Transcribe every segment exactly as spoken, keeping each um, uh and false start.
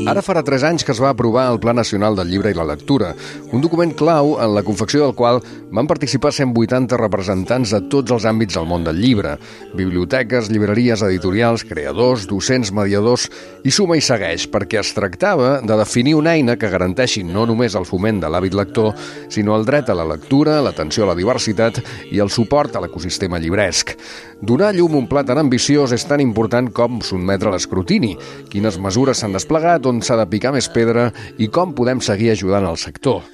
Ara farà tres anys que es va aprovar el Pla Nacional del Llibre i la Lectura, un document clau en la confecció del qual van participar cent vuitanta representants de tots els àmbits del món del llibre: biblioteques, llibreries, editorials, creadors, docents, mediadors, i suma i segueix, perquè es tractava de definir una eina que garanteixi no només el foment de l'hàbit lector, sinó el dret a la lectura, l'atenció a la diversitat i el suport a l'ecosistema llibresc. Donar llum a un pla tan ambiciós és tan important com sotmetre l'escrutini, quines mesures s'han desplegat, on s'ha de picar més pedra i com podem seguir ajudant el sector.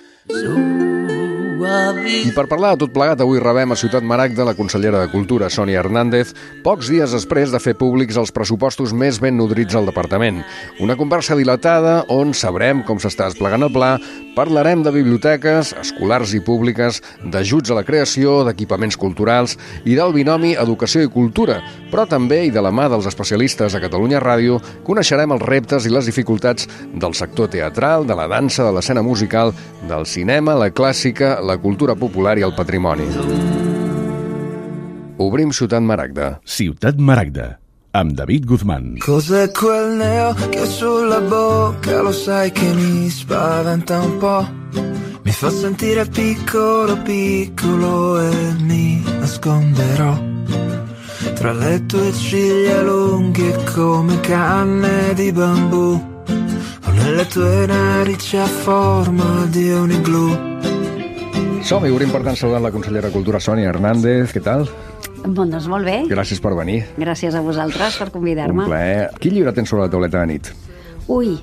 I per parlar de tot plegat, avui rebem a Ciutat Maragda la consellera de Cultura, Sònia Hernández, pocs dies després de fer públics els pressupostos més ben nodrits del departament. Una conversa dilatada on sabrem com s'està desplegant el pla, parlarem de biblioteques, escolars i públiques, d'ajuts a la creació, d'equipaments culturals i del binomi educació i cultura, però també, i de la mà dels especialistes a Catalunya Ràdio, coneixerem els reptes i les dificultats del sector teatral, de la dansa, de l'escena musical, del cinema, la clàssica, la cultura popular i el patrimoni. Obrim Ciutat Maragda. Ciutat Maragda, amb David Guzmán. Cos'è quel neo che ho sulla bocca? Lo sai che mi spaventa un po'. Mi fa sentire piccolo, piccolo e mi nasconderò tra le tue ciglia lunghe come canne di bambù o nelle tue narici a forma di un iglú. Som-hi, obrim per tant saludant la consellera de Cultura, Sònia Hernández. Què tal? Bon, doncs molt bé. Gràcies per venir. Gràcies a vosaltres per convidar-me. Un plaer. Quin llibre tens sobre la tauleta de nit? Ui.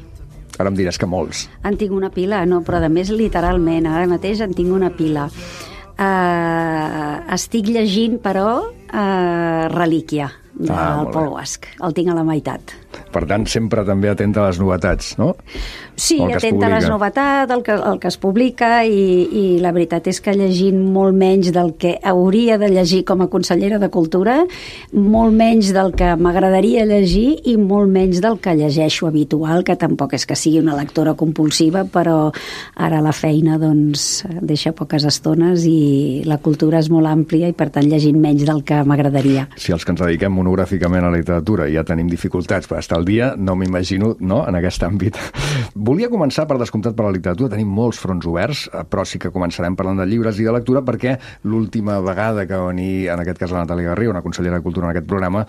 Ara em diràs que molts. En tinc una pila, no, però a més literalment. Ara mateix en tinc una pila. Uh, estic llegint, però, uh, Relíquia, del ah, Paul Guasch. El tinc a la meitat. Per tant, sempre també atenta a les novetats, no? Sí, atenta a les novetats, el que, el que es publica, i, i la veritat és que llegint molt menys del que hauria de llegir com a consellera de Cultura, molt menys del que m'agradaria llegir i molt menys del que llegeixo habitual, que tampoc és que sigui una lectora compulsiva, però ara la feina doncs deixa poques estones i la cultura és molt àmplia i per tant llegint menys del que m'agradaria. Si els que ens dediquem monogràficament a la literatura ja tenim dificultats per estar al dia, no m'imagino, no?, en aquest àmbit. Volia començar, per descomptat, per la literatura. Tenim molts fronts oberts, però sí que començarem parlant de llibres i de lectura, perquè l'última vegada que va venir, en aquest cas la Natàlia Garriga, una consellera de Cultura en aquest programa,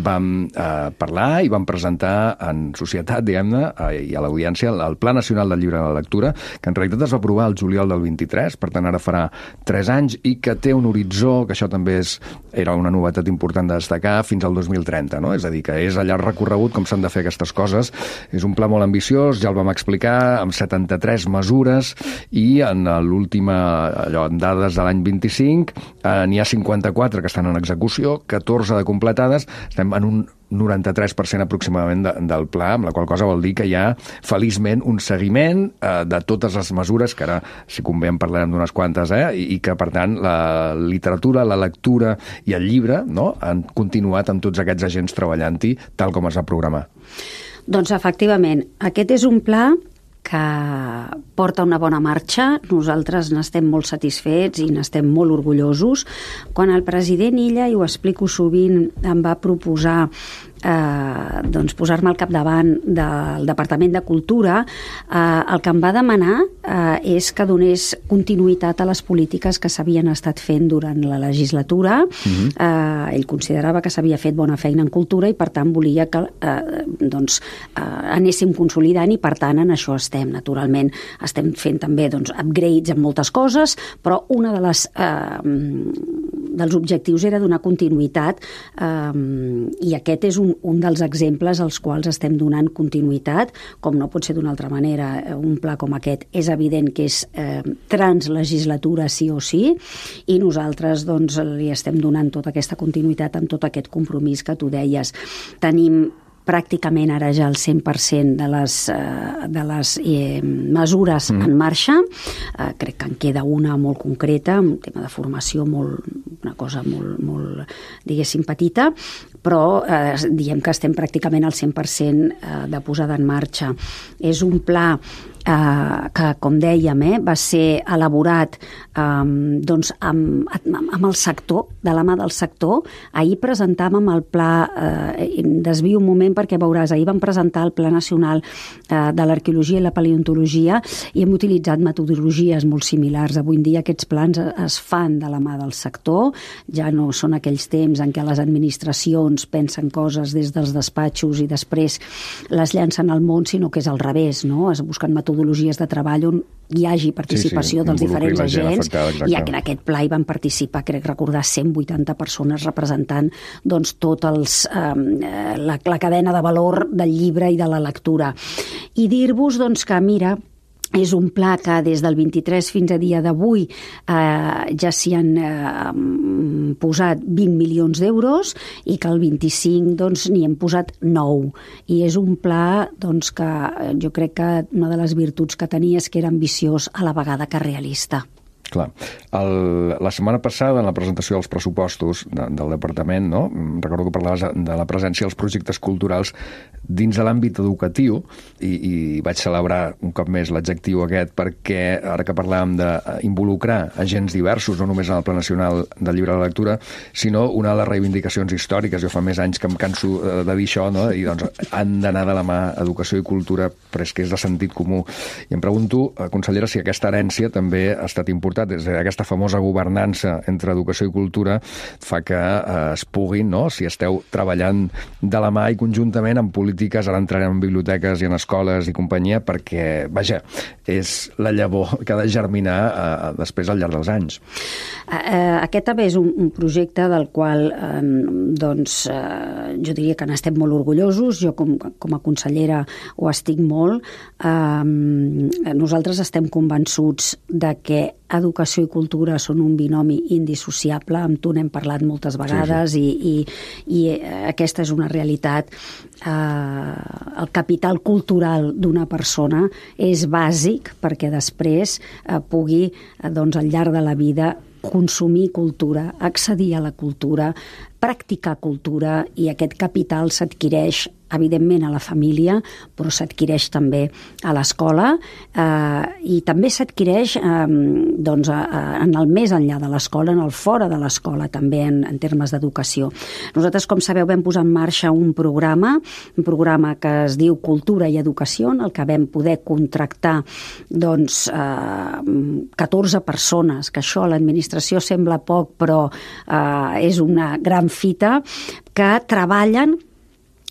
vam eh, parlar i vam presentar en societat, diguem-ne, eh, i a l'audiència, el Pla Nacional del Llibre i la Lectura, que en realitat es va aprovar el juliol del vint-i-tres, per tant ara farà tres anys, i que té un horitzó, que això també és, era una novetat important de destacar, fins al dos mil trenta, no? És a dir, que és a llarg recorregut com s'han de fer aquestes coses. És un pla molt ambiciós, ja el vam explicar, amb setanta-tres mesures, i en l'última, allò, en dades de l'any vint-i-cinc, eh, n'hi ha cinquanta-quatre que estan en execució, catorze de completades, estem en un noranta-tres per cent aproximadament de, del pla, amb la qual cosa vol dir que hi ha, feliçment, un seguiment eh, de totes les mesures, que ara, si convé, en parlarem d'unes quantes, eh, i, i que, per tant, la literatura, la lectura i el llibre, no?, han continuat amb tots aquests agents treballant-hi tal com es va programar. Doncs, efectivament, aquest és un pla que porta una bona marxa. Nosaltres n'estem molt satisfets i n'estem molt orgullosos. Quan el president Illa, i ho explico sovint, em va proposar eh, doncs posar-me al capdavant del Departament de Cultura, eh, el que em va demanar eh, és que donés continuïtat a les polítiques que s'havien estat fent durant la legislatura. Uh-huh. eh, ell considerava que s'havia fet bona feina en cultura i per tant volia que eh, doncs, eh, anéssim consolidant, i per tant en això estem, naturalment. Estem fent també doncs, upgrades en moltes coses, però una de les eh, dels objectius era donar continuïtat, eh, i aquest és un, un dels exemples als quals estem donant continuïtat, com no pot ser d'una altra manera. Un pla com aquest és evident que és eh, translegislatura sí o sí, i nosaltres doncs, li estem donant tota aquesta continuïtat amb tot aquest compromís que tu deies. Tenim pràcticament ara ja el cent per cent de les, eh, de les eh, mesures mm. en marxa. Eh, crec que en queda una molt concreta, un tema de formació, molt, una cosa molt, molt, diguéssim, petita, però eh, diem que estem pràcticament al cent per cent de posada en marxa. És un pla eh, que, com dèiem, eh, va ser elaborat eh, doncs amb, amb el sector, de la mà del sector. Ahir presentàvem el pla, eh, desvio un moment perquè veuràs, ahir vam presentar el Pla Nacional eh, de l'Arqueologia i la Paleontologia i hem utilitzat metodologies molt similars. Avui en dia aquests plans es fan de la mà del sector, ja no són aquells temps en què les administracions pensen coses des dels despatxos i després les llancen al món, sinó que és al revés, no? Es busquen metodologies de treball on hi hagi participació sí, sí, dels diferents agents afectada, i en aquest pla hi van participar, crec recordar, cent vuitanta persones representant doncs, tot els, eh, la, la cadena de valor del llibre i de la lectura. I dir-vos doncs, que, mira, és un pla que des del vint-i-tres fins a dia d'avui eh, ja s'hi han eh, posat vint milions d'euros i que el vint-i-cinc doncs, n'hi hem posat nou. I és un pla doncs, que jo crec que una de les virtuts que tenia és que era ambiciós a la vegada que realista. Clar. El, la setmana passada, en la presentació dels pressupostos de, del departament, no? Recordo que parlaves de la presència dels projectes culturals dins de l'àmbit educatiu i, i vaig celebrar un cop més l'adjectiu aquest perquè ara que parlàvem d'involucrar agents diversos, no només en el Pla Nacional del Llibre de la Lectura, sinó una de les reivindicacions històriques. Jo fa més anys que em canso de dir això, no? I doncs han d'anar de la mà educació i cultura, però és que és de sentit comú. I em pregunto, consellera, si aquesta herència també ha estat important. Des d'aquesta famosa governança entre educació i cultura fa que eh, es puguin, no? Si esteu treballant de la mà i conjuntament en polítiques, ara entrarem en biblioteques i en escoles i companyia, perquè, vaja, és la llavor que ha de germinar eh, després al llarg dels anys. Eh, aquest també és un, un projecte del qual eh, doncs, eh, jo diria que n'estem molt orgullosos. Jo com, com a consellera ho estic molt. Eh, nosaltres estem convençuts de que educació i cultura són un binomi indissociable, amb tu n'hem parlat moltes vegades, sí, sí. I, i, i aquesta és una realitat. Eh, el capital cultural d'una persona és bàsic perquè després eh, pugui, eh, doncs, al llarg de la vida, consumir cultura, accedir a la cultura, practicar cultura, i aquest capital s'adquireix evidentment a la família, però s'adquireix també a l'escola eh, i també s'adquireix eh, doncs, en el més enllà de l'escola, en el fora de l'escola també en, en termes d'educació. Nosaltres, com sabeu, vam posar en marxa un programa, un programa que es diu Cultura i Educació, en el que vam poder contractar doncs, eh, catorze persones, que això a l'administració sembla poc, però eh, és una gran fita, que treballen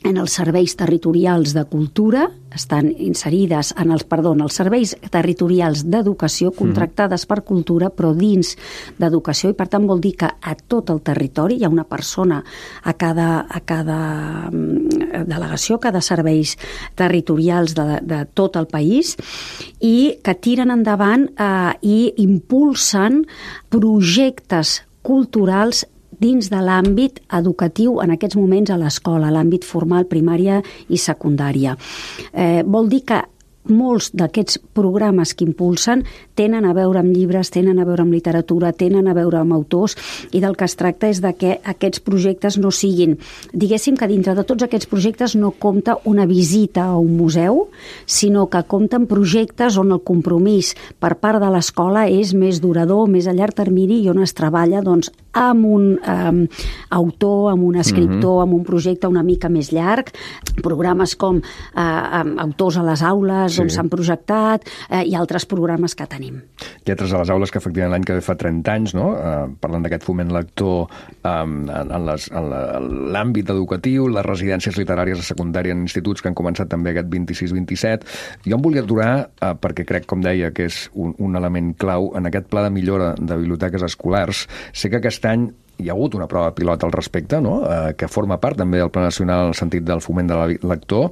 en els serveis territorials de cultura, estan inserides en els, perdó, en els serveis territorials d'educació contractades per cultura, però dins d'educació, i per tant vol dir que a tot el territori hi ha una persona a cada, a cada delegació, a cada serveis territorials de, de tot el país, i que tiren endavant eh, i impulsen projectes culturals dins de l'àmbit educatiu, en aquests moments a l'escola, l'àmbit formal, primària i secundària. Eh, vol dir que molts d'aquests programes que impulsen tenen a veure amb llibres, tenen a veure amb literatura, tenen a veure amb autors, i del que es tracta és de que aquests projectes no siguin, diguéssim que dintre de tots aquests projectes no compta una visita a un museu, sinó que compten projectes on el compromís per part de l'escola és més durador, més a llarg termini, i on es treballa doncs, amb un um, autor, amb un escriptor, mm-hmm. amb un projecte una mica més llarg, programes com uh, autors a les aules, sí. on s'han projectat, eh, i altres programes que tenim. Lletres a les aules, que efectivament l'any que ve fa trenta anys, no? Eh, parlant d'aquest foment lector eh, en, en, les, en l'àmbit educatiu, les residències literàries a secundària en instituts que han començat també aquest vint-i-sis vint-i-set. Jo em volia aturar, eh, perquè crec, com deia, que és un, un element clau en aquest pla de millora de biblioteques escolars. Sé que aquest any hi ha hagut una prova pilot al respecte, no? eh, que forma part també del Pla Nacional en el sentit del foment de la lector,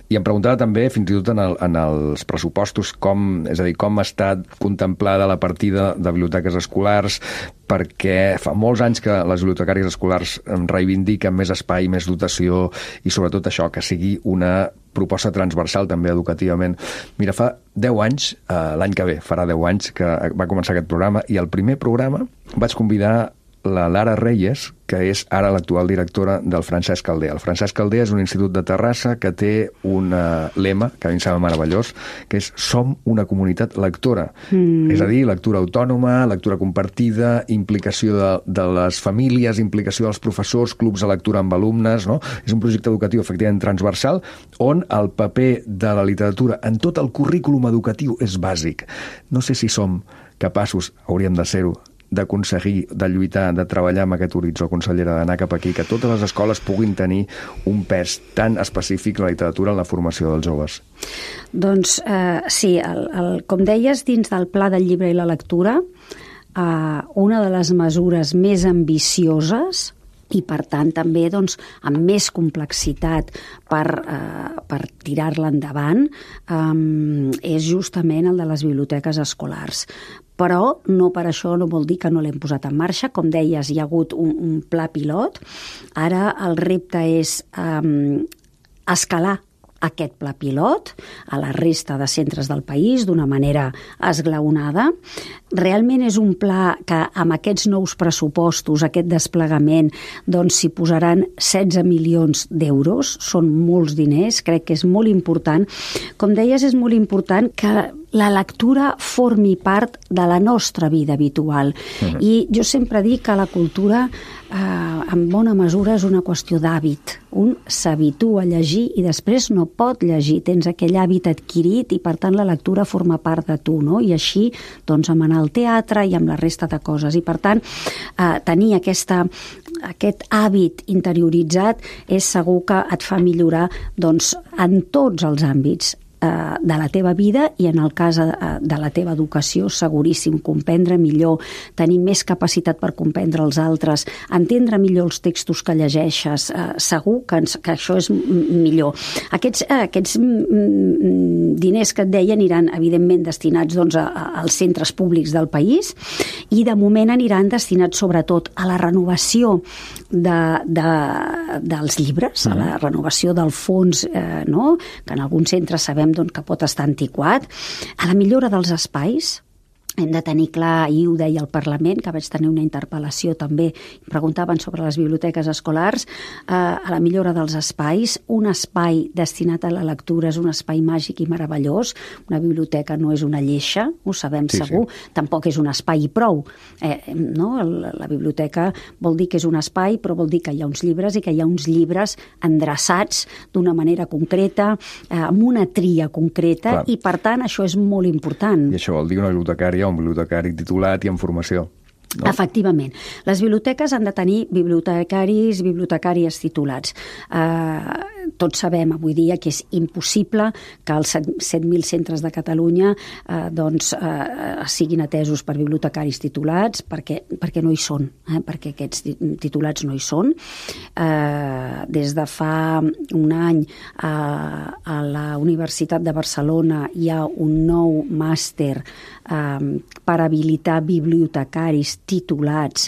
i em preguntava també, fins i tot en, el, en els pressupostos, com, és a dir, com està contemplada la partida de biblioteques escolars, perquè fa molts anys que les bibliotecàries escolars reivindiquen més espai, més dotació, i sobretot això, que sigui una proposta transversal també educativament. Mira, fa deu anys, eh, l'any que ve farà deu anys que va començar aquest programa, i el primer programa vaig convidar la Lara Reyes, que és ara l'actual directora del Francesc Caldea. El Francesc Caldea és un institut de Terrassa que té un lema, que a mi em sembla meravellós, que és Som una comunitat lectora. Mm. És a dir, lectura autònoma, lectura compartida, implicació de, de les famílies, implicació dels professors, clubs de lectura amb alumnes, no? És un projecte educatiu efectivament transversal on el paper de la literatura en tot el currículum educatiu és bàsic. No sé si som capaços, hauríem de ser-ho, d'aconseguir, de lluitar, de treballar amb aquest horitzó, consellera, d'anar cap aquí, que totes les escoles puguin tenir un pes tan específic la literatura en la formació dels joves. Doncs eh, sí, el, el, com deies, dins del Pla del Llibre i la Lectura, eh, una de les mesures més ambicioses i, per tant, també doncs, amb més complexitat per, eh, per tirar-la endavant, eh, és justament el de les biblioteques escolars. Però no per això no vol dir que no l'hem posat en marxa. Com deies, hi ha hagut un, un pla pilot. Ara el repte és eh, escalar aquest pla pilot a la resta de centres del país d'una manera esglaonada. Realment és un pla que amb aquests nous pressupostos, aquest desplegament, doncs s'hi posaran setze milions d'euros, són molts diners, crec que és molt important. Com deies, és molt important que la lectura formi part de la nostra vida habitual. Uh-huh. I jo sempre dic que la cultura eh, en bona mesura és una qüestió d'hàbit. Un s'habitua a llegir i després no pot llegir, tens aquell hàbit adquirit i per tant la lectura forma part de tu, no? I així doncs amb anar al teatre i amb la resta de coses. I per tant eh, tenir aquesta, aquest hàbit interioritzat és segur que et fa millorar doncs, en tots els àmbits de la teva vida i en el cas de la teva educació seguríssim, comprendre millor, tenir més capacitat per comprendre els altres, entendre millor els textos que llegeixes, segur que, ens, que això és millor. Aquests, aquests diners que et deia aniran evidentment destinats doncs, a, als centres públics del país i de moment aniran destinats sobretot a la renovació de, de, dels llibres, a la renovació del fons, eh, no? Que en alguns centres sabem doncs, que pot estar antiquat, a la millora dels espais. Hem de tenir clar, i ho deia al Parlament, que vaig tenir una interpel·lació també, i preguntaven sobre les biblioteques escolars, eh, a la millora dels espais. Un espai destinat a la lectura és un espai màgic i meravellós. Una biblioteca no és una lleixa, ho sabem sí, segur, sí. Tampoc és un espai i prou. Eh, no? La, la biblioteca vol dir que és un espai, però vol dir que hi ha uns llibres i que hi ha uns llibres endreçats d'una manera concreta, eh, amb una tria concreta, clar. I per tant això és molt important. I això vol dir una bibliotecària un bibliotecari titulat i en formació. No? Efectivament. Les biblioteques han de tenir bibliotecaris i bibliotecàries titulats. Eh, tots sabem avui dia que és impossible que els set mil centres de Catalunya eh, doncs, eh, siguin atesos per bibliotecaris titulats perquè, perquè no hi són, eh, perquè aquests titulats no hi són. Eh, des de fa un any eh, a la Universitat de Barcelona hi ha un nou màster eh, per habilitar bibliotecaris titulats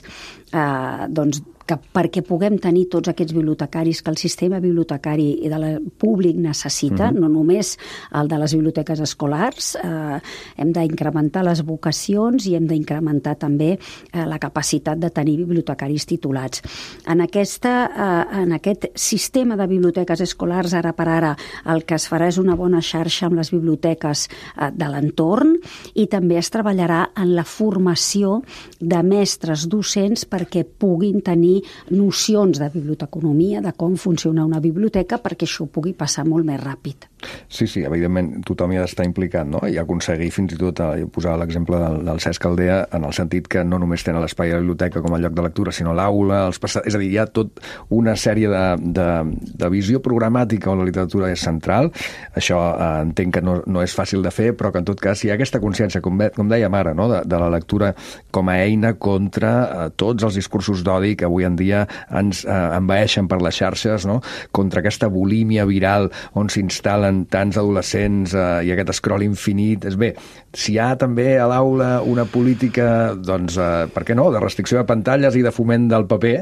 eh, doncs, que perquè puguem tenir tots aquests bibliotecaris que el sistema bibliotecari i de la públic necessita, uh-huh. no només el de les biblioteques escolars, eh, hem d'incrementar les vocacions i hem d'incrementar també eh, la capacitat de tenir bibliotecaris titulats. En, aquesta, eh, en aquest sistema de biblioteques escolars, ara per ara, el que es farà és una bona xarxa amb les biblioteques eh, de l'entorn i també es treballarà en la formació de mestres docents perquè puguin tenir nocions de biblioteconomia, de com funciona una biblioteca, perquè això pugui passar molt més ràpid. Sí, sí, evidentment tothom hi ha d'estar implicat, no? I aconseguir fins i tot, eh, posar l'exemple del, del Cesc Caldea, en el sentit que no només tenen l'espai a la biblioteca com a lloc de lectura, sinó l'aula, els passats... És a dir, hi ha tot una sèrie de, de, de visió programàtica on la literatura és central. Això eh, entenc que no, no és fàcil de fer, però que en tot cas hi ha aquesta consciència, com, com dèiem ara, no? de, de la lectura com a eina contra eh, tots els discursos d'odi que avui en en dia ens eh, envaeixen per les xarxes, no? Contra aquesta bulímia viral on s'instal·len tants adolescents eh, i aquest scroll infinit. És bé, si hi ha també a l'aula una política, doncs, eh, per què no?, de restricció de pantalles i de foment del paper,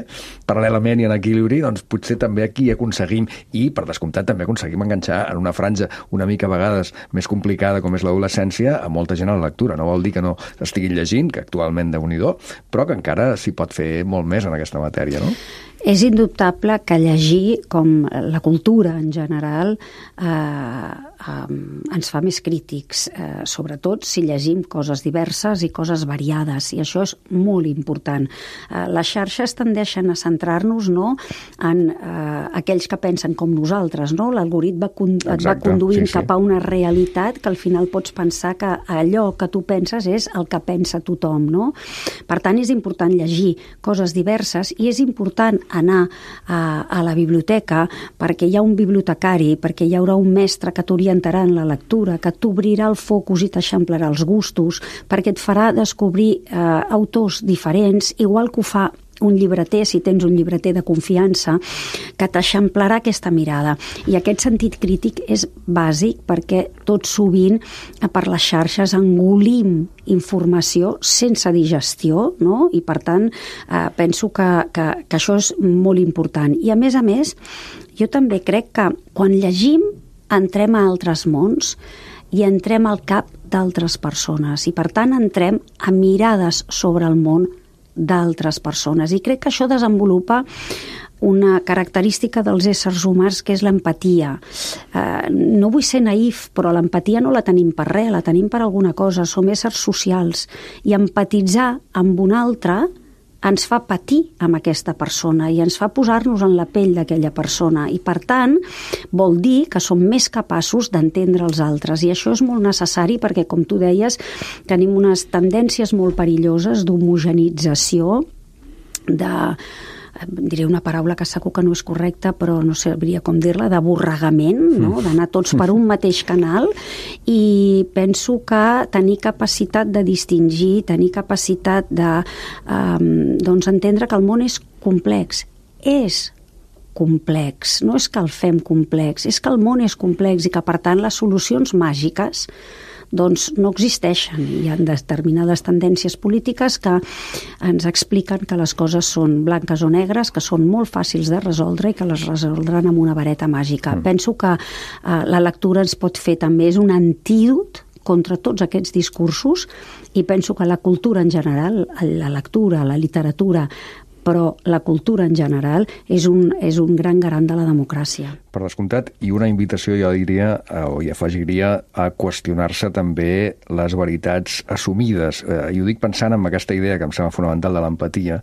paral·lelament i en equilibri, doncs potser també aquí aconseguim, i per descomptat també aconseguim enganxar en una franja una mica a vegades més complicada com és l'adolescència a molta gent a la lectura. No vol dir que no estiguin llegint, que actualment déu-n'hi-do, però que encara s'hi pot fer molt més en aquesta matèria, no? És indubtable que llegir, com la cultura en general, eh, eh, ens fa més crítics, eh, sobretot si llegim coses diverses i coses variades, i això és molt important. Eh, les xarxes tendeixen a centrar-nos, no?, en eh, aquells que pensen com nosaltres, no? L'algoritme et va conduint sí, sí. cap a una realitat que al final pots pensar que allò que tu penses és el que pensa tothom, no? Per tant, és important llegir coses diverses, i és important anar a, a la biblioteca perquè hi ha un bibliotecari, perquè hi haurà un mestre que t'orientarà en la lectura, que t'obrirà el focus i t'eixamplarà els gustos, perquè et farà descobrir eh, autors diferents, igual que ho fa un llibreter, si tens un llibreter de confiança, que t'eixamplarà aquesta mirada. I aquest sentit crític és bàsic perquè tot sovint per les xarxes engolim informació sense digestió, no? I per tant eh, penso que, que, que això és molt important. I a més a més, jo també crec que quan llegim entrem a altres mons i entrem al cap d'altres persones, i per tant entrem a mirades sobre el món d'altres persones, i crec que això desenvolupa una característica dels éssers humans, que és l'empatia. Eh, no vull ser naïf, però l'empatia no la tenim per res, la tenim per alguna cosa, som éssers socials, i empatitzar amb un altre ens fa patir amb aquesta persona i ens fa posar-nos en la pell d'aquella persona, i per tant vol dir que som més capaços d'entendre els altres, i això és molt necessari perquè, com tu deies, tenim unes tendències molt perilloses d'homogenització, de diré una paraula que segur que no és correcta, però no sabria com dir-la, d'aborregament, no? D'anar tots per un mateix canal, i penso que tenir capacitat de distingir, tenir capacitat de eh, doncs entendre que el món és complex. És complex, no és que el fem complex, és que el món és complex i que, per tant, les solucions màgiques doncs no existeixen. Hi ha determinades tendències polítiques que ens expliquen que les coses són blanques o negres, que són molt fàcils de resoldre i que les resoldran amb una vareta màgica. Mm. Penso que eh, la lectura ens pot fer també, és un antídot contra tots aquests discursos, i penso que la cultura en general, la lectura, la literatura, però la cultura en general és un, és un gran garant de la democràcia. Per descomptat, i una invitació, jo diria, o hi afegiria, a qüestionar-se també les veritats assumides. Eh, I ho dic pensant en aquesta idea que em sembla fonamental de l'empatia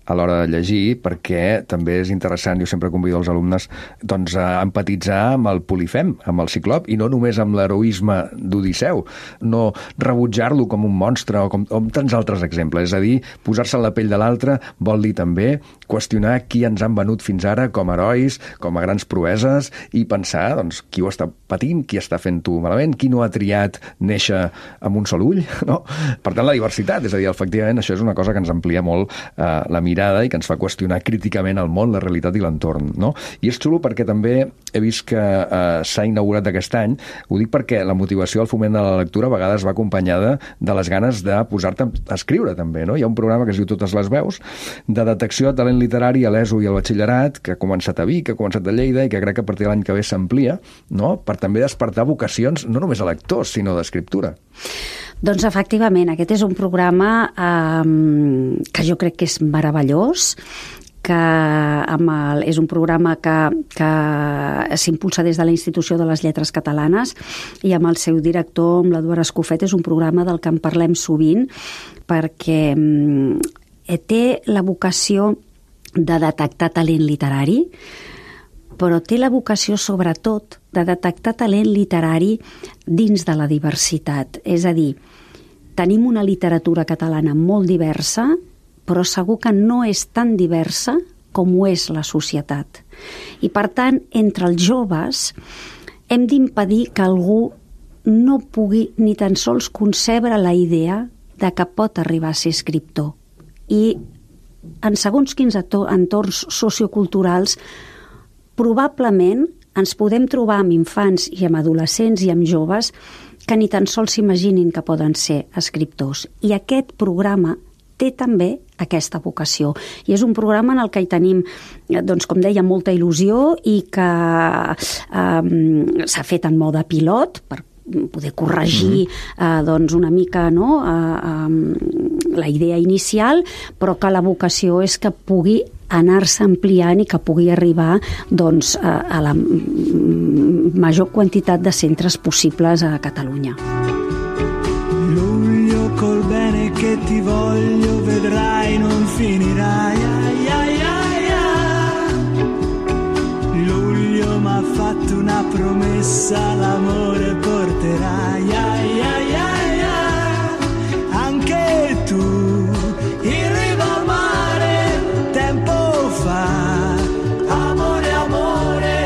a l'hora de llegir, perquè també és interessant, jo sempre convido els alumnes doncs, a empatitzar amb el Polifem, amb el Ciclop, i no només amb l'heroisme d'Odisseu, no rebutjar-lo com un monstre o com, com tants altres exemples. És a dir, posar-se en la pell de l'altre vol dir també qüestionar qui ens han venut fins ara com a herois, com a grans proeses, i pensar doncs, qui ho està patint, qui està fent-ho malament, qui no ha triat néixer amb un sol ull, no? Per tant, la diversitat, és a dir, efectivament, això és una cosa que ens amplia molt eh, la mirada i que ens fa qüestionar críticament el món, la realitat i l'entorn, no? I és xulo perquè també he vist que eh, s'ha inaugurat aquest any, ho dic perquè la motivació al foment de la lectura a vegades va acompanyada de les ganes de posar-te a escriure també, no? Hi ha un programa que es diu Totes les veus, de detecció de talent literari a l'ESO i al batxillerat, que ha començat a Vic, que ha començat a Lleida i que crec que a partir de l'any que ve s'amplia, no?, per també despertar vocacions no només a lectors, sinó d'escriptura. Doncs efectivament, aquest és un programa eh, que jo crec que és meravellós, que amb el, és un programa que, que s'impulsa des de la Institució de les Lletres Catalanes, i amb el seu director, amb l'Eduard Escofet, és un programa del que en parlem sovint, perquè eh, té la vocació de detectar talent literari, però té la vocació, sobretot, de detectar talent literari dins de la diversitat. És a dir, tenim una literatura catalana molt diversa, però segur que no és tan diversa com ho és la societat. I, per tant, entre els joves hem d'impedir que algú no pugui ni tan sols concebre la idea de que pot arribar a ser escriptor. I en segons quins entorns socioculturals probablement ens podem trobar amb infants i amb adolescents i amb joves que ni tan sols s'imaginin que poden ser escriptors. I aquest programa té també aquesta vocació. I és un programa en el que hi tenim, doncs, com deia, molta il·lusió i que eh, s'ha fet en mode pilot per poder corregir eh, doncs una mica, no, eh, eh, la idea inicial, però que la vocació és que pugui anar-se ampliant i que pugui arribar doncs, a, a la major quantitat de centres possibles a Catalunya. Luglio col bene che ti voglio vedrai non finirai ai, ai, ai, ai. Luglio m'ha fatto una promessa l'amore porterai ai, ai, ai, ai. Anche tu in riva al mare tempo fa amore amore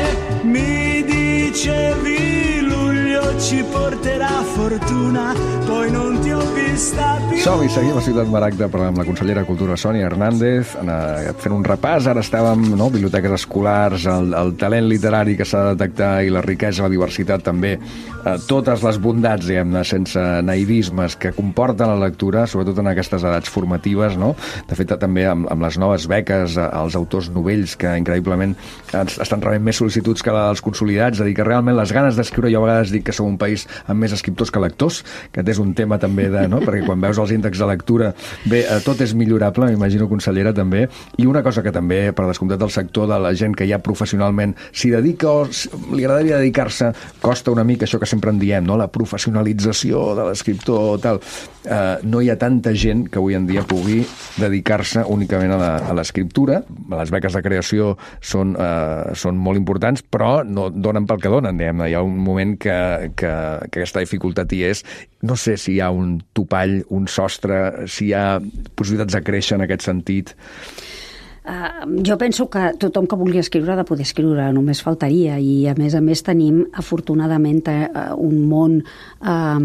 mi dicevi luglio ci porterà fortuna poi non ti ho vista più. Som-hi, seguim a Ciutat Maragda parlant amb la consellera de Cultura Sònia Hernández, fent un repàs. Ara estàvem, no, biblioteques escolars, el, el talent literari que s'ha de detectar i la riquesa, la diversitat també, eh, totes les bondats, diguem-ne, sense naïvismes que comporten la lectura, sobretot en aquestes edats formatives, no? De fet, també amb, amb les noves beques als autors novells, que increïblement estan rebent més sol·licituds que els consolidats, és a dir, que realment les ganes d'escriure, jo a vegades dic que som un país amb més escriptors que lectors, que és un tema també de, no? Perquè quan veus els índexs de lectura, bé, tot és millorable, m'imagino, consellera, també. I una cosa que també, per descomptat del sector de la gent que ja professionalment s'hi dedica o li agradaria dedicar-se, costa una mica això que sempre en diem, no? La professionalització de l'escriptor, tal. Uh, no hi ha tanta gent que avui en dia pugui dedicar-se únicament a l'escriptura. Les beques de creació són, uh, són molt importants, però no donen pel que donen, diguem-ne. Hi ha un moment que, que, que aquesta dificultat hi és. No sé si hi ha un topall, un sostre, si hi ha possibilitats de créixer en aquest sentit. Uh, jo penso que tothom que vulgui escriure ha de poder escriure, només faltaria, i a més a més tenim afortunadament uh, un món, um,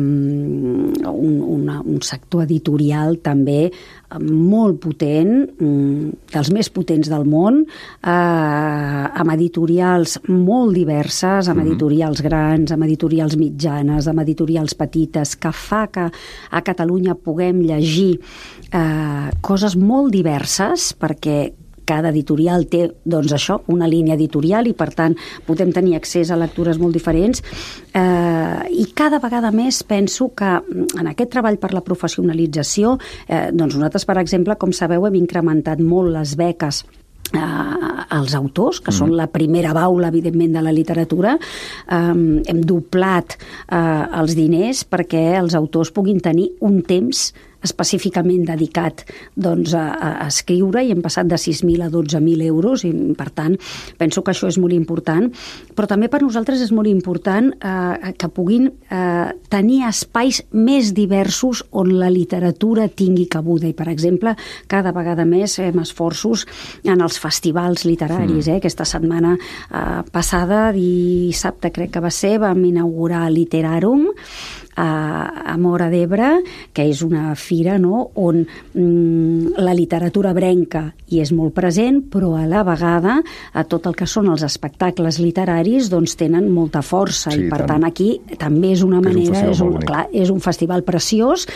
un, una, un sector editorial també uh, molt potent, um, dels més potents del món, uh, amb editorials molt diverses, amb editorials grans, amb editorials mitjanes, amb editorials petites, que fa que a Catalunya puguem llegir uh, coses molt diverses, perquè cada editorial té, doncs això, una línia editorial i, per tant, podem tenir accés a lectures molt diferents. Eh, I cada vegada més penso que en aquest treball per la professionalització, eh, doncs nosaltres, per exemple, com sabeu, hem incrementat molt les beques eh, als autors, que mm. són la primera baula, evidentment, de la literatura. Eh, hem doblat eh, els diners perquè els autors puguin tenir un temps específicament dedicat, doncs, a, a escriure, i hem passat de sis mil a dotze mil euros, i per tant penso que això és molt important, però també per nosaltres és molt important eh, que puguin eh, tenir espais més diversos on la literatura tingui cabuda, i per exemple cada vegada més fem esforços en els festivals literaris. Eh? Aquesta setmana eh, passada, dissabte crec que va ser, vam inaugurar Literarum a Móra d'Ebre, que és una fira, no?, on mm, la literatura ebrenca hi és molt present, però a la vegada a tot el que són els espectacles literaris doncs tenen molta força, sí, i per tant, tant aquí també és una manera, és un, és un, clar, és un festival preciós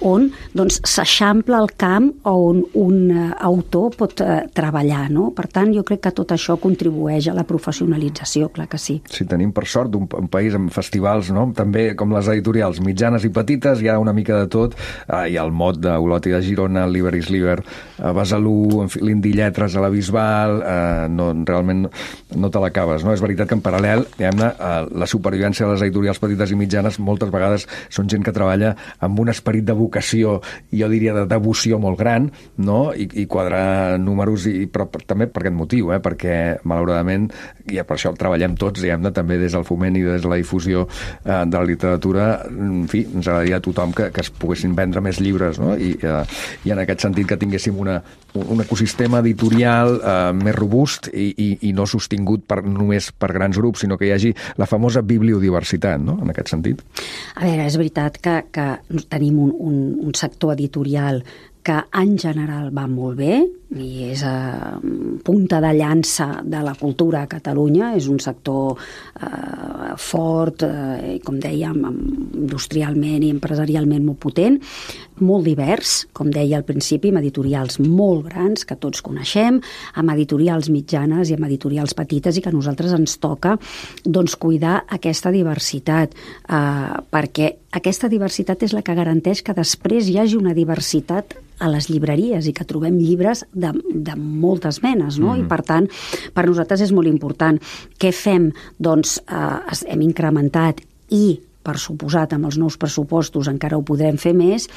on doncs s'eixampla el camp on un uh, autor pot uh, treballar, no? Per tant, jo crec que tot això contribueix a la professionalització, clar que sí. Sí, tenim per sort un, un país amb festivals, no?, també com les editorials mitjanes i petites, hi ha una mica de tot. Eh, hi ha el Mot d'Olot i de Girona, el Liber is Liber a Besalú, l'Indi Lletres a la Bisbal, eh, no, realment no te l'acabes, no? És veritat que en paral·lel, diguem-ne, eh, la supervivència de les editorials petites i mitjanes moltes vegades són gent que treballa amb un esperit de vocació, i jo diria de devoció molt gran, no?, i, i quadrar números, i, però per, també per aquest motiu, eh? Perquè malauradament, i per això treballem tots, diguem-ne, també des del foment i des de la difusió eh, de la literatura. En fi, ens agradaria a tothom que, que es poguessin vendre més llibres, no? I, eh, i en aquest sentit que tinguéssim una, un ecosistema editorial eh, més robust i, i, i no sostingut per, només per grans grups, sinó que hi hagi la famosa bibliodiversitat, no?, en aquest sentit. A veure, és veritat que, que tenim un, un, un sector editorial que en general va molt bé i és a punta de llança de la cultura a Catalunya. És un sector eh, fort, eh, com dèiem, industrialment i empresarialment molt potent, molt divers, com deia al principi, amb editorials molt grans que tots coneixem, amb editorials mitjanes i amb editorials petites, i que a nosaltres ens toca doncs, cuidar aquesta diversitat, eh, perquè aquesta diversitat és la que garanteix que després hi hagi una diversitat a les llibreries i que trobem llibres de, de moltes menes, no? Mm. I per tant, per nosaltres és molt important. Què fem? Doncs eh, hem incrementat i per suposat, amb els nous pressupostos encara ho podrem fer més,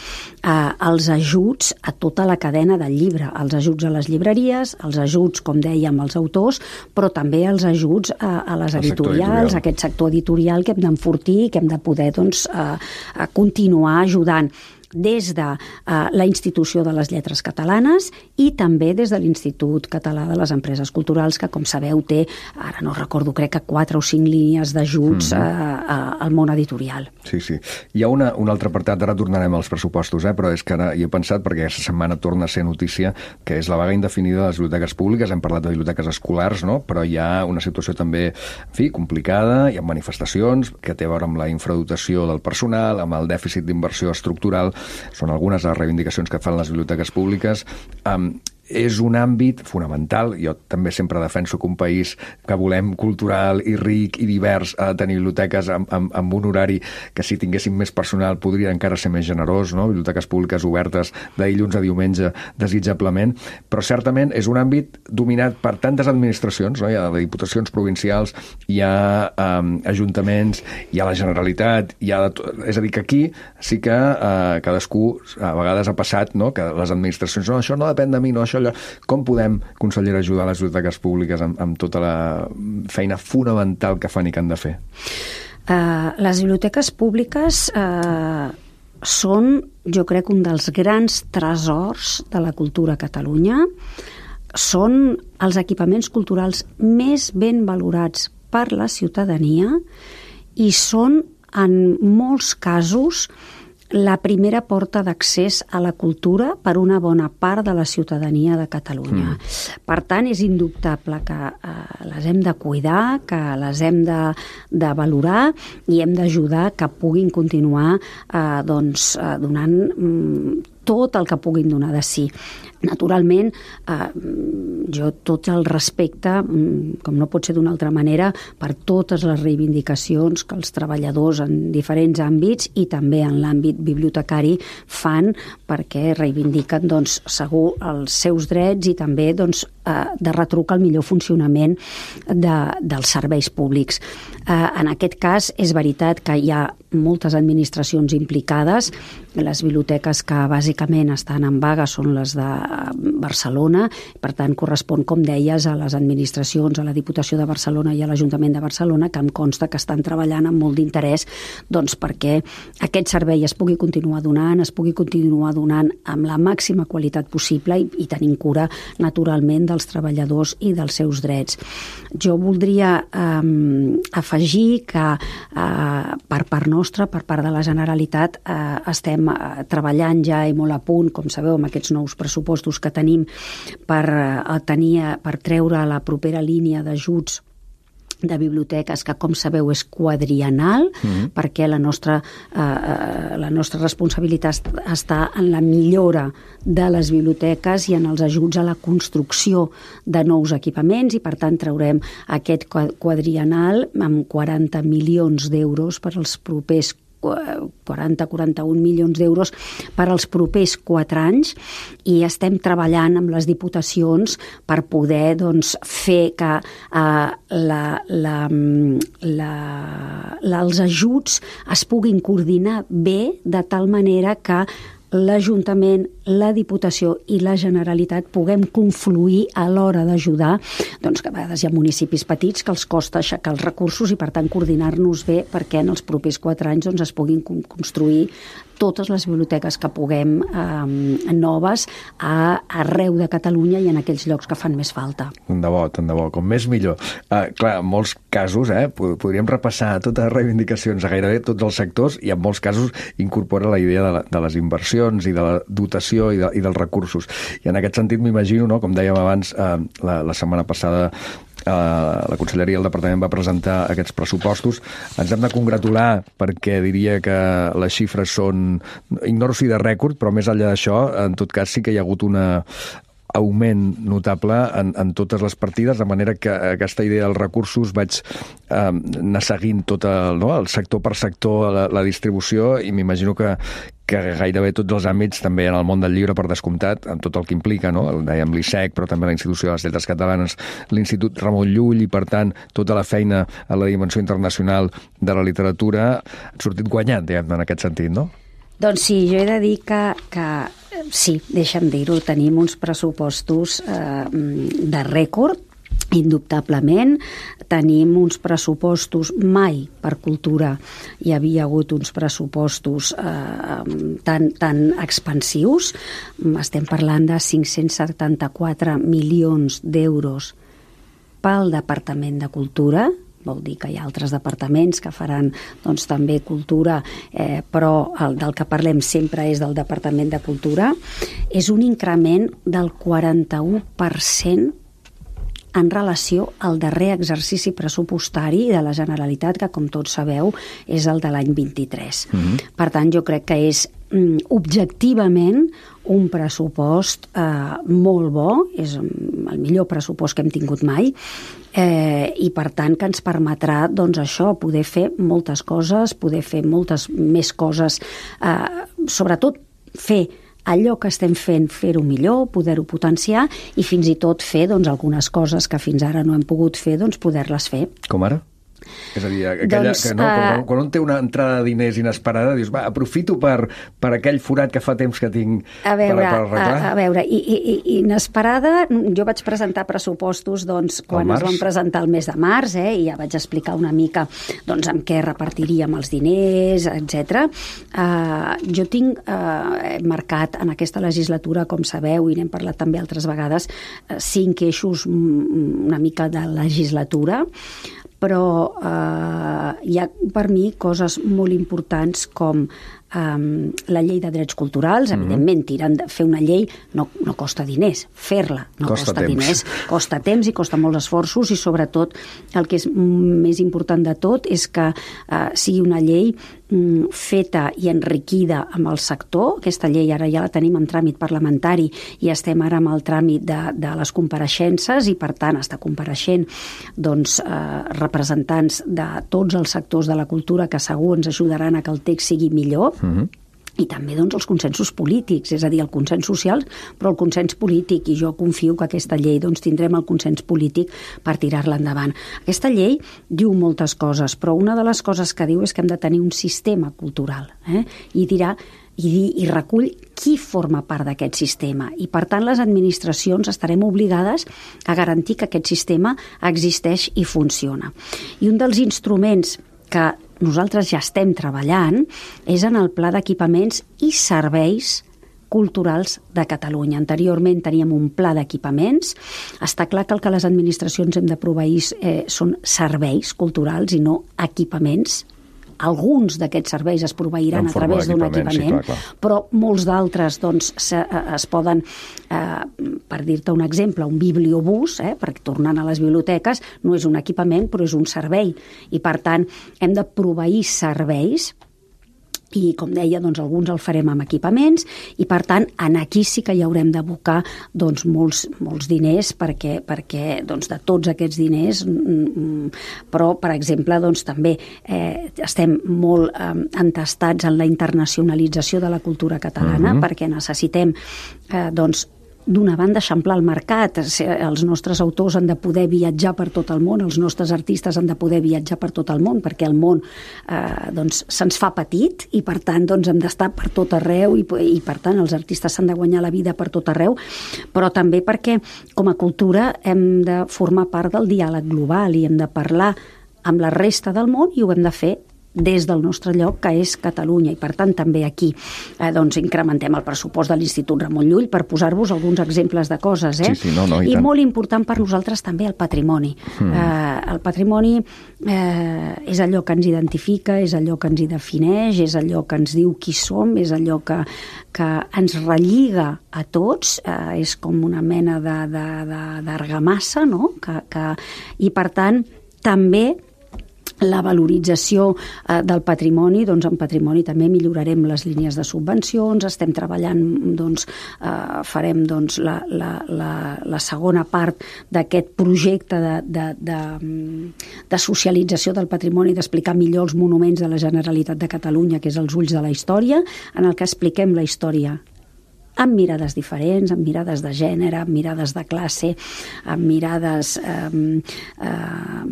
eh, els ajuts a tota la cadena del llibre, els ajuts a les llibreries, els ajuts, com dèiem, als autors, però també els ajuts a, a les el editorials, a aquest sector editorial que hem d'enfortir i que hem de poder doncs, eh, a continuar ajudant des de uh, la Institució de les Lletres Catalanes i també des de l'Institut Català de les Empreses Culturals, que, com sabeu, té, ara no recordo, crec que quatre o cinc línies d'ajuts mm-hmm. uh, uh, al món editorial. Sí, sí. Hi ha una, un altre apartat, ara tornarem als pressupostos, eh? Però és que ara hi he pensat, perquè aquesta setmana torna a ser notícia, que és la vaga indefinida de les biblioteques públiques. Hem parlat de biblioteques escolars, no? Però hi ha una situació també, en fi, complicada, hi ha manifestacions que té a veure amb la infradotació del personal, amb el dèficit d'inversió estructural. Són algunes de les reivindicacions que fan les biblioteques públiques. Um, és un àmbit fonamental. Jo també sempre defenso que un país que volem cultural i ric i divers ha de tenir biblioteques amb, amb, amb un horari que, si tinguéssim més personal, podria encara ser més generós, no? Biblioteques públiques obertes de dilluns a diumenge, desitjablement. Però certament és un àmbit dominat per tantes administracions, no? Hi ha diputacions provincials, hi ha um, ajuntaments, hi ha la Generalitat, hi ha de... és a dir, que aquí sí que uh, cadascú a vegades ha passat, no? Que les administracions, no, això no depèn de mi, no, això allò. Com podem, consellera, ajudar les biblioteques públiques amb, amb tota la feina fonamental que fan i que han de fer? Uh, les biblioteques públiques uh, són, jo crec, un dels grans tresors de la cultura a Catalunya. Són els equipaments culturals més ben valorats per la ciutadania i són, en molts casos, la primera porta d'accés a la cultura per una bona part de la ciutadania de Catalunya. Mm. Per tant, és indubtable que eh, les hem de cuidar, que les hem de, de valorar i hem d'ajudar que puguin continuar eh, doncs, eh, donant mm, tot el que puguin donar de si. Naturalment, eh, jo tot el respecte, com no pot ser d'una altra manera, per totes les reivindicacions que els treballadors en diferents àmbits i també en l'àmbit bibliotecari fan, perquè reivindiquen, doncs, segur els seus drets i també, doncs, eh, de retruc el millor funcionament de, dels serveis públics. Eh, en aquest cas, és veritat que hi ha moltes administracions implicades. Les biblioteques que bàsicament estan en vaga són les de Barcelona, per tant correspon, com deies, a les administracions, a la Diputació de Barcelona i a l'Ajuntament de Barcelona, que em consta que estan treballant amb molt d'interès, doncs, perquè aquest servei es pugui continuar donant, es pugui continuar donant amb la màxima qualitat possible i, i tenint cura, naturalment, dels treballadors i dels seus drets. Jo voldria eh, afegir que eh, per part nostra, per part de la Generalitat, eh, estem eh, treballant ja i molt a punt, com sabeu, amb aquests nous pressupostos que tenim per, eh, tenir, per treure la propera línia d'ajuts de biblioteques, que, com sabeu, és quadriennal, mm-hmm. perquè la nostra, eh, la nostra responsabilitat està en la millora de les biblioteques i en els ajuts a la construcció de nous equipaments, i per tant traurem aquest quadriennal amb quaranta milions d'euros per als propers quaranta a quaranta-un milions d'euros per als propers quatre anys, i estem treballant amb les diputacions per poder, doncs, fer que eh, la, la, la, la, els ajuts es puguin coordinar bé, de tal manera que l'Ajuntament, la Diputació i la Generalitat puguem confluir a l'hora d'ajudar, doncs, que a vegades hi ha municipis petits que els costa aixecar els recursos i, per tant, coordinar-nos bé perquè en els propers quatre anys, doncs, es puguin construir totes les biblioteques que puguem eh, noves a, arreu de Catalunya i en aquells llocs que fan més falta. Tant de bo, tant de bo, com més millor. Uh, clar, molts casos, eh, podríem repassar totes les reivindicacions a gairebé tots els sectors i en molts casos incorpora la idea de, la, de les inversions i de la dotació i, de, i dels recursos. I en aquest sentit m'imagino, no, com dèiem abans, eh, la, la setmana passada Uh, la Conselleria i el Departament va presentar aquests pressupostos. Ens hem de congratular perquè diria que les xifres són, ignoro si de rècord, però més enllà d'això, en tot cas sí que hi ha hagut una augment notable en, en totes les partides, de manera que aquesta idea dels recursos vaig eh, anar seguint tot el, no, el sector per sector la, la distribució, i m'imagino que que gairebé tots els àmbits, també en el món del llibre per descomptat, amb tot el que implica, no? El dèiem l'I S E C, però també la Institució de les Lletres Catalanes, l'Institut Ramon Llull, i per tant tota la feina a la dimensió internacional de la literatura, ha sortit guanyant, diguem, en aquest sentit, no? Doncs sí, jo he de dir que, que sí, deixa'm dir-ho, tenim uns pressupostos eh, de rècord, indubtablement. Tenim uns pressupostos, mai per cultura hi havia hagut uns pressupostos eh, tan, tan expansius. Estem parlant de cinc-cents setanta-quatre milions d'euros pel Departament de Cultura. Vol dir que hi ha altres departaments que faran doncs, també cultura, eh, però el del que parlem sempre és del Departament de Cultura. És un increment del quaranta-u per cent en relació al darrer exercici pressupostari de la Generalitat, que, com tots sabeu, és el de l'any vint-i-tres. Mm-hmm. Per tant, jo crec que és mm, objectivament un pressupost eh, molt bo, és el millor pressupost que hem tingut mai, eh, i per tant que ens permetrà, doncs això, poder fer moltes coses, poder fer moltes més coses, eh, sobretot fer allò que estem fent, fer-ho millor, poder-ho potenciar i fins i tot fer doncs, algunes coses que fins ara no hem pogut fer, doncs poder-les fer. Com ara? És a dir, aquella, doncs, que no, quan, quan un té una entrada de diners inesperada, dius, va, aprofito per, per aquell forat que fa temps que tinc a veure, per, per arreglar. A, a veure, i, i, i inesperada, jo vaig presentar pressupostos doncs, quan es van presentar el mes de març, eh, i ja vaig explicar una mica doncs, amb què repartiríem els diners, etcètera. Uh, jo tinc uh, marcat en aquesta legislatura, com sabeu, i n'hem parlat també altres vegades, uh, cinc eixos una mica de legislatura, però eh, hi ha per mi coses molt importants com eh, la llei de drets culturals. Mm-hmm. Evidentment, tirant de fer una llei no, no costa diners, fer-la no costa, costa diners, costa temps i costa molts esforços, i sobretot el que és més important de tot és que eh, sigui una llei mm, feta i enriquida amb el sector. Aquesta llei ara ja la tenim en tràmit parlamentari i estem ara amb el tràmit de, de les compareixences, i per tant està compareixent doncs, eh, representants de tots els sectors de la cultura que segur ens ajudaran a que el text sigui millor. Mm-hmm. I també doncs, els consensos polítics, és a dir, el consens social, però el consens polític, i jo confio que aquesta llei doncs, tindrem el consens polític per tirar-la endavant. Aquesta llei diu moltes coses, però una de les coses que diu és que hem de tenir un sistema cultural, eh? i dirà i, i recull qui forma part d'aquest sistema, i per tant les administracions estarem obligades a garantir que aquest sistema existeix i funciona. I un dels instruments que nosaltres ja estem treballant és en el Pla d'Equipaments i Serveis Culturals de Catalunya. Anteriorment teníem un pla d'equipaments. Està clar que el que les administracions hem de proveir eh, són serveis culturals i no equipaments. Alguns d'aquests serveis es proveiran a través d'un equipament, sí, clar, clar. Però molts d'altres doncs, se, es poden, eh, per dir-te un exemple, un bibliobús, eh, perquè tornant a les biblioteques, no és un equipament, però és un servei. I per tant, hem de proveir serveis, i com deia, doncs, alguns el farem amb equipaments, i per tant en aquí sí que hi haurem d'abocar doncs, molts, molts diners, perquè, perquè doncs, de tots aquests diners, però per exemple doncs, també eh, estem molt eh, entestats en la internacionalització de la cultura catalana, uh-huh. perquè necessitem eh, doncs, d'una banda, eixamplar el mercat. Els nostres autors han de poder viatjar per tot el món, els nostres artistes han de poder viatjar per tot el món, perquè el món eh, doncs, se'ns fa petit, i per tant doncs, hem d'estar per tot arreu, i, i per tant els artistes s'han de guanyar la vida per tot arreu, però també perquè com a cultura hem de formar part del diàleg global i hem de parlar amb la resta del món, i ho hem de fer des del nostre lloc, que és Catalunya, i per tant també aquí eh, doncs incrementem el pressupost de l'Institut Ramon Llull, per posar-vos alguns exemples de coses. Eh? Sí, sí, no, no, i I tant. molt important per nosaltres també el patrimoni. Mm. Eh, el patrimoni eh, és allò que ens identifica, és allò que ens hi defineix, és allò que ens diu qui som, és allò que, que ens relliga a tots, eh, és com una mena de, de, de, d'argamassa, no? que, que, i per tant també la valorització eh, del patrimoni, doncs en patrimoni també millorarem les línies de subvencions, estem treballant, doncs, eh, farem doncs, la, la, la, la segona part d'aquest projecte de, de, de, de socialització del patrimoni, d'explicar millor els monuments de la Generalitat de Catalunya, que és els ulls de la història, en el que expliquem la història amb mirades diferents, amb mirades de gènere, amb mirades de classe, amb mirades eh, eh,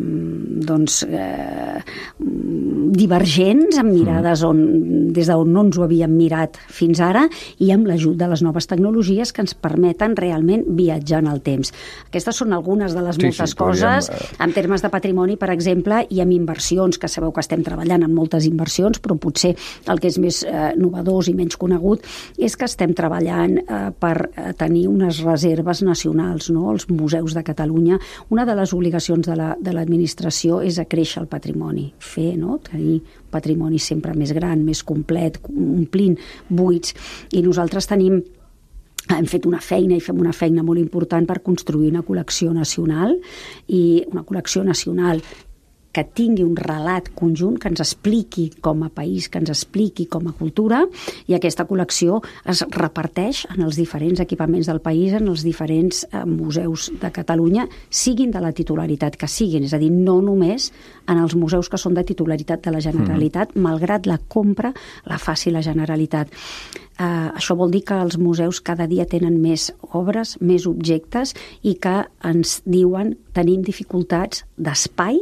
doncs, eh, divergents, amb mirades on, des d'on no ens ho havíem mirat fins ara, i amb l'ajut de les noves tecnologies que ens permeten realment viatjar en el temps. Aquestes són algunes de les Sí, moltes sí, podríem, coses, eh, en termes de patrimoni, per exemple, i amb inversions, que sabeu que estem treballant en moltes inversions, però potser el que és més eh, novedós i menys conegut és que estem treballant per tenir unes reserves nacionals, no? Els museus de Catalunya. Una de les obligacions de la, de l'administració és acréixer el patrimoni, fer, no? Tenir patrimoni sempre més gran, més complet, omplint buits, i nosaltres tenim hem fet una feina i fem una feina molt important per construir una col·lecció nacional, i una col·lecció nacional que tingui un relat conjunt, que ens expliqui com a país, que ens expliqui com a cultura, i aquesta col·lecció es reparteix en els diferents equipaments del país, en els diferents eh, museus de Catalunya, siguin de la titularitat que siguin, és a dir, no només en els museus que són de titularitat de la Generalitat, mm. malgrat la compra la faci la Generalitat. Uh, això vol dir que els museus cada dia tenen més obres, més objectes, i que ens diuen tenim dificultats d'espai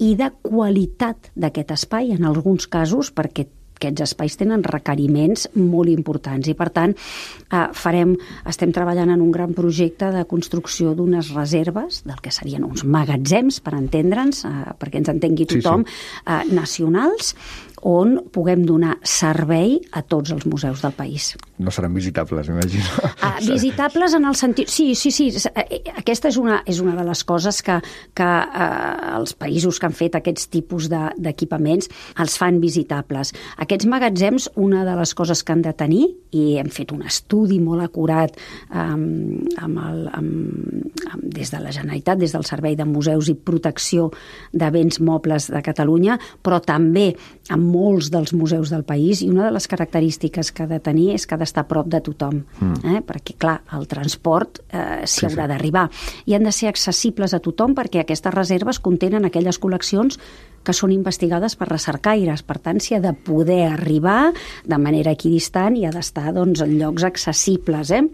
i de qualitat d'aquest espai, en alguns casos, perquè aquests espais tenen requeriments molt importants, i per tant eh, farem, estem treballant en un gran projecte de construcció d'unes reserves, del que serien uns magatzems, per entendre'ns, eh, perquè ens entengui tothom, sí, sí. Eh, nacionals, on puguem donar servei a tots els museus del país. No seran visitables, m'imagino. Uh, visitables en el sentit... Sí, sí, sí. Aquesta és una, és una de les coses que, que uh, els països que han fet aquests tipus de, d'equipaments els fan visitables. Aquests magatzems, una de les coses que han de tenir, i hem fet un estudi molt acurat um, amb el, amb, amb, des de la Generalitat, des del Servei de Museus i Protecció de Béns Mobles de Catalunya, però també amb molts dels museus del país, i una de les característiques que ha de tenir és que ha d'estar a prop de tothom, mm. eh? perquè, clar, el transport eh, s'hi sí, haurà sí. d'arribar. I han de ser accessibles a tothom, perquè aquestes reserves contenen aquelles col·leccions que són investigades per recercaires. Per tant, s'hi ha de poder arribar de manera equidistant i ha d'estar, doncs, en llocs accessibles, eh?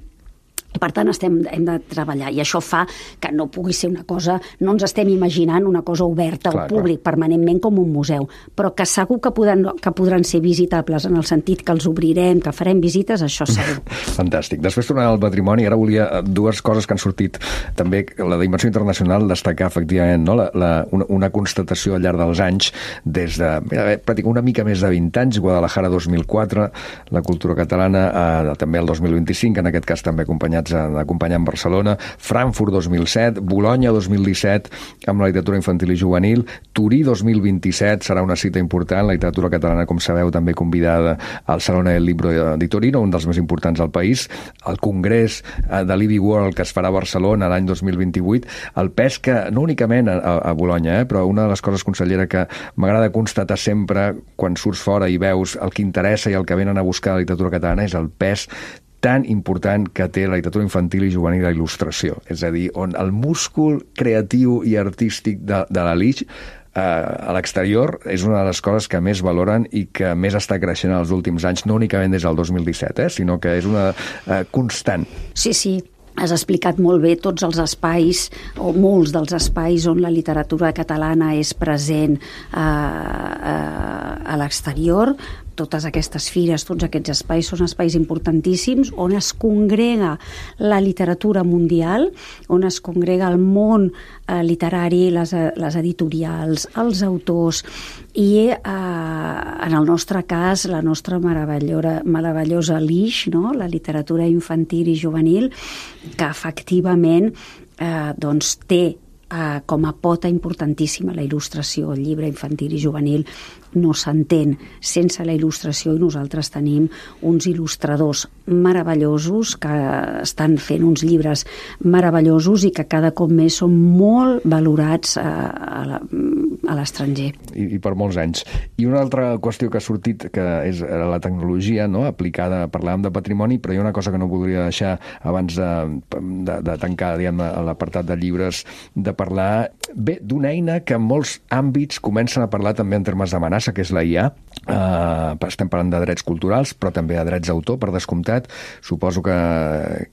Per tant, estem, hem de treballar, i això fa que no pugui ser una cosa, no ens estem imaginant una cosa oberta clar, al públic clar. permanentment com un museu, però que segur que podran, que podran ser visitables en el sentit que els obrirem, que farem visites, això segur. Fantàstic. Després tornant al patrimoni, ara volia dues coses que han sortit també, la dimensió internacional, destacar efectivament, no? la, la, una, una constatació al llarg dels anys, des de mira, pràcticament una mica més de vint anys, Guadalajara dos mil quatre, la cultura catalana, eh, també el dos mil vint-i-cinc, en aquest cas també acompanyats d'acompanyar en Barcelona, Frankfurt dos mil set, Bolonya dos mil disset amb la literatura infantil i juvenil, Turí dos mil vint-i-set serà una cita important, la literatura catalana, com sabeu, també convidada al Salone del Libro di Torino, un dels més importants del país, el Congrés de l'I B World que es farà a Barcelona l'any dos mil vint-i-vuit, el pes que, no únicament a, a Bolonya, eh, però una de les coses, consellera, que m'agrada constatar sempre quan surts fora i veus el que interessa i el que venen a buscar la literatura catalana és el pes tan important que té la literatura infantil i juvenil a il·lustració. És a dir, on el múscul creatiu i artístic de, de la Lich eh, a l'exterior és una de les coses que més valoren i que més està creixent en els últims anys, no únicament des del dos mil disset, eh, sinó que és una eh, constant. Sí, sí. Has explicat molt bé tots els espais, o molts dels espais on la literatura catalana és present eh, eh, a l'exterior, totes aquestes fires, tots aquests espais són espais importantíssims on es congrega la literatura mundial, on es congrega el món eh, literari, les, les editorials, els autors i eh, en el nostre cas la nostra meravellosa, meravellosa L I X, no? La literatura infantil i juvenil, que efectivament eh, doncs té eh, com a pota importantíssima la il·lustració. El llibre infantil i juvenil no s'entén sense la il·lustració i nosaltres tenim uns il·lustradors meravellosos que estan fent uns llibres meravellosos i que cada cop més són molt valorats a, a, a l'estranger. I, I per molts anys. I una altra qüestió que ha sortit, que és la tecnologia, no?, aplicada, parlàvem de patrimoni, però hi ha una cosa que no voldria deixar abans de, de, de tancar, diguem, l'apartat de llibres, de parlar, bé, d'una eina que en molts àmbits comencen a parlar també en termes d'amenaça, que és la I A. Uh, estem parlant de drets culturals, però també de drets d'autor, per descomptat. Suposo que,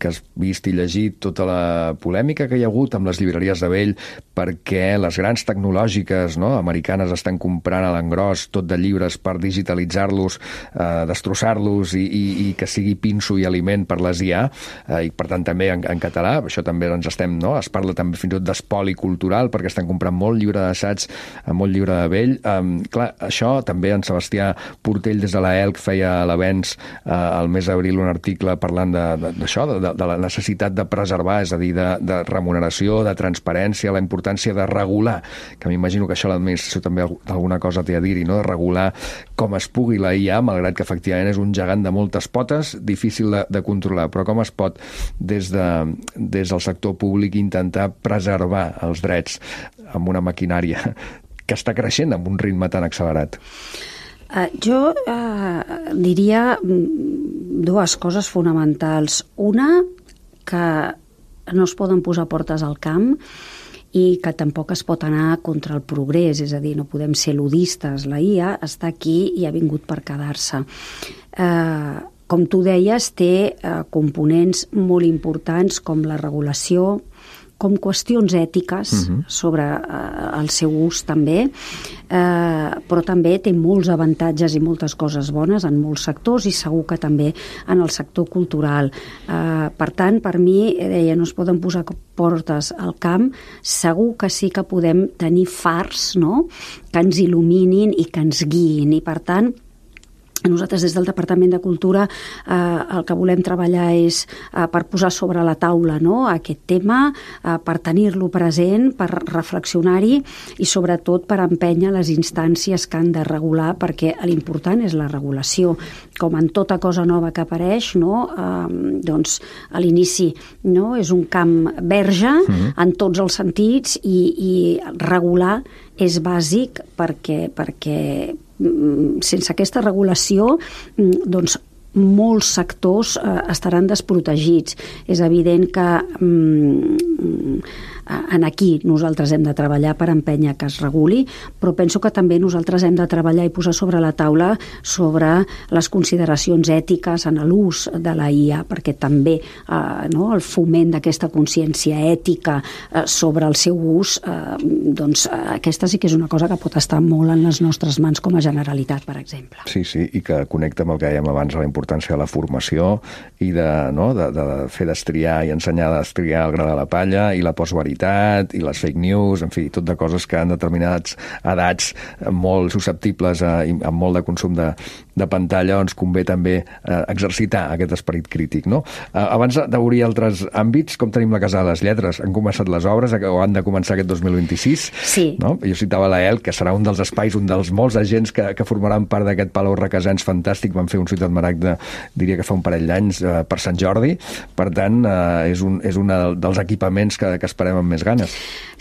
que has vist i llegit tota la polèmica que hi ha hagut amb les llibreries de vell perquè les grans tecnològiques, no?, americanes estan comprant a l'engròs tot de llibres per digitalitzar-los, uh, destrossar-los i, i, i que sigui pinso i aliment per les I A, uh, i per tant també en, en català. Això també ens estem, no?, es parla també fins i tot d'espoli cultural perquè estan comprant molt llibre d'assaig, molt llibre de vell. Um, clar, això també en Sebastià Portell des de la E L C feia a l'Avenç eh, al mes d'abril un article parlant d'això, de, de, de la necessitat de preservar, és a dir, de, de remuneració, de transparència, la importància de regular, que m'imagino que això l'administració també alguna cosa té a dir-hi, no?, de regular com es pugui la I A, malgrat que efectivament és un gegant de moltes potes, difícil de, de controlar, però com es pot des, de, des del sector públic intentar preservar els drets amb una maquinària que està creixent amb un ritme tan accelerat? Uh, jo uh, diria dues coses fonamentals. Una, que no es poden posar portes al camp i que tampoc es pot anar contra el progrés, és a dir, no podem ser ludistes. La I A està aquí i ha vingut per quedar-se. Uh, com tu deies, té uh, components molt importants com la regulació, com qüestions ètiques uh-huh. sobre eh, el seu ús també, eh, però també té molts avantatges i moltes coses bones en molts sectors i segur que també en el sector cultural. Eh, per tant, per mi, deia, no es poden posar portes al camp, segur que sí que podem tenir fars, no?, que ens il·luminin i que ens guiïn, i per tant nosaltres des del Departament de Cultura eh, el que volem treballar és eh, per posar sobre la taula, no?, aquest tema, eh, per tenir-lo present, per reflexionar-hi i sobretot per empènyer les instàncies que han de regular, perquè l'important és la regulació. Com en tota cosa nova que apareix, no?, eh, doncs a l'inici, no?, és un camp verge mm-hmm. en tots els sentits i, i regular és bàsic perquè, perquè sense aquesta regulació doncs molts sectors eh, estaran desprotegits. És evident que mm, en aquí nosaltres hem de treballar per empènyer que es reguli, però penso que també nosaltres hem de treballar i posar sobre la taula sobre les consideracions ètiques en l'ús de la I A, perquè també eh, no, el foment d'aquesta consciència ètica eh, sobre el seu ús, eh, doncs eh, aquesta sí que és una cosa que pot estar molt en les nostres mans com a Generalitat, per exemple. Sí, sí, i que connecta amb el que dèiem abans, la importància de la formació i de, no, de, de fer destriar i ensenyar a destriar el gra de la palla i la postveritat i les fake news, en fi, tot de coses que en determinades edats molt susceptibles a, a molt de consum de, de pantalla, ens convé també eh, exercitar aquest esperit crític, no? Eh, abans d'obrir altres àmbits, com tenim la Casa de les Lletres? Han començat les obres o han de començar aquest dos mil vint-i-sis? Sí. No? Jo citava la E L C, que serà un dels espais, un dels molts agents que, que formaran part d'aquest Palau Requesens fantàstic. Van fer un Ciutat Maragda, diria que fa un parell d'anys, eh, per Sant Jordi. Per tant, eh, és un és un dels equipaments que, que esperem amb més ganes.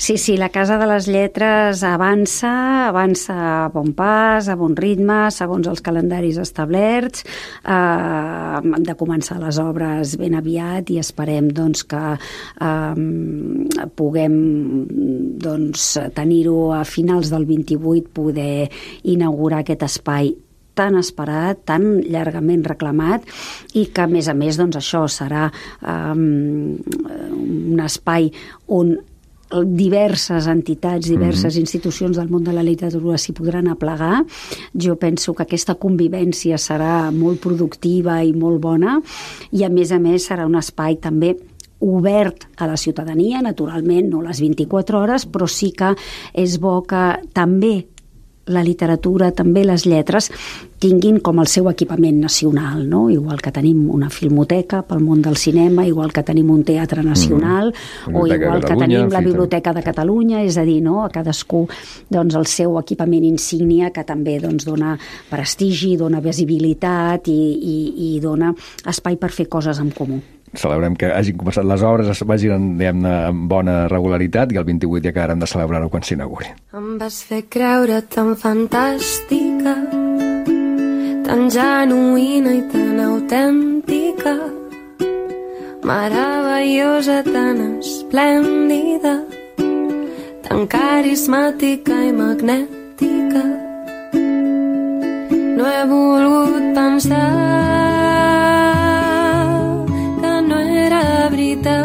Sí, sí, la Casa de les Lletres avança, avança a bon pas, a bon ritme, segons els calendaris establerts. Eh, hem de començar les obres ben aviat i esperem doncs, que eh, puguem doncs, tenir-ho a finals del vint-i-vuit, poder inaugurar aquest espai tan esperat, tan llargament reclamat i que, a més a més, doncs, això serà um, un espai on diverses entitats, diverses mm-hmm. institucions del món de la literatura s'hi podran aplegar. Jo penso que aquesta convivència serà molt productiva i molt bona, i a més a més serà un espai també obert a la ciutadania, naturalment no les vint-i-quatre hores, però sí que és bo que també la literatura, també les lletres, tinguin com el seu equipament nacional, no? Igual que tenim una filmoteca pel món del cinema, igual que tenim un teatre nacional, mm. o igual que tenim la Biblioteca de Catalunya, és a dir, no? A cadascú doncs, el seu equipament insígnia, que també doncs, dona prestigi, dona visibilitat i, i, i dona espai per fer coses en comú. Celebrem que hagin començat les obres, es vagin, diguem-ne, amb bona regularitat, i el vint-i-vuit ja acabarem de celebrar-ho quan s'inauguri. Em vas fer creure tan fantàstica, tan genuïna i tan autèntica, meravellosa, tan esplèndida, tan carismàtica i magnètica. No he volgut pensar veritat,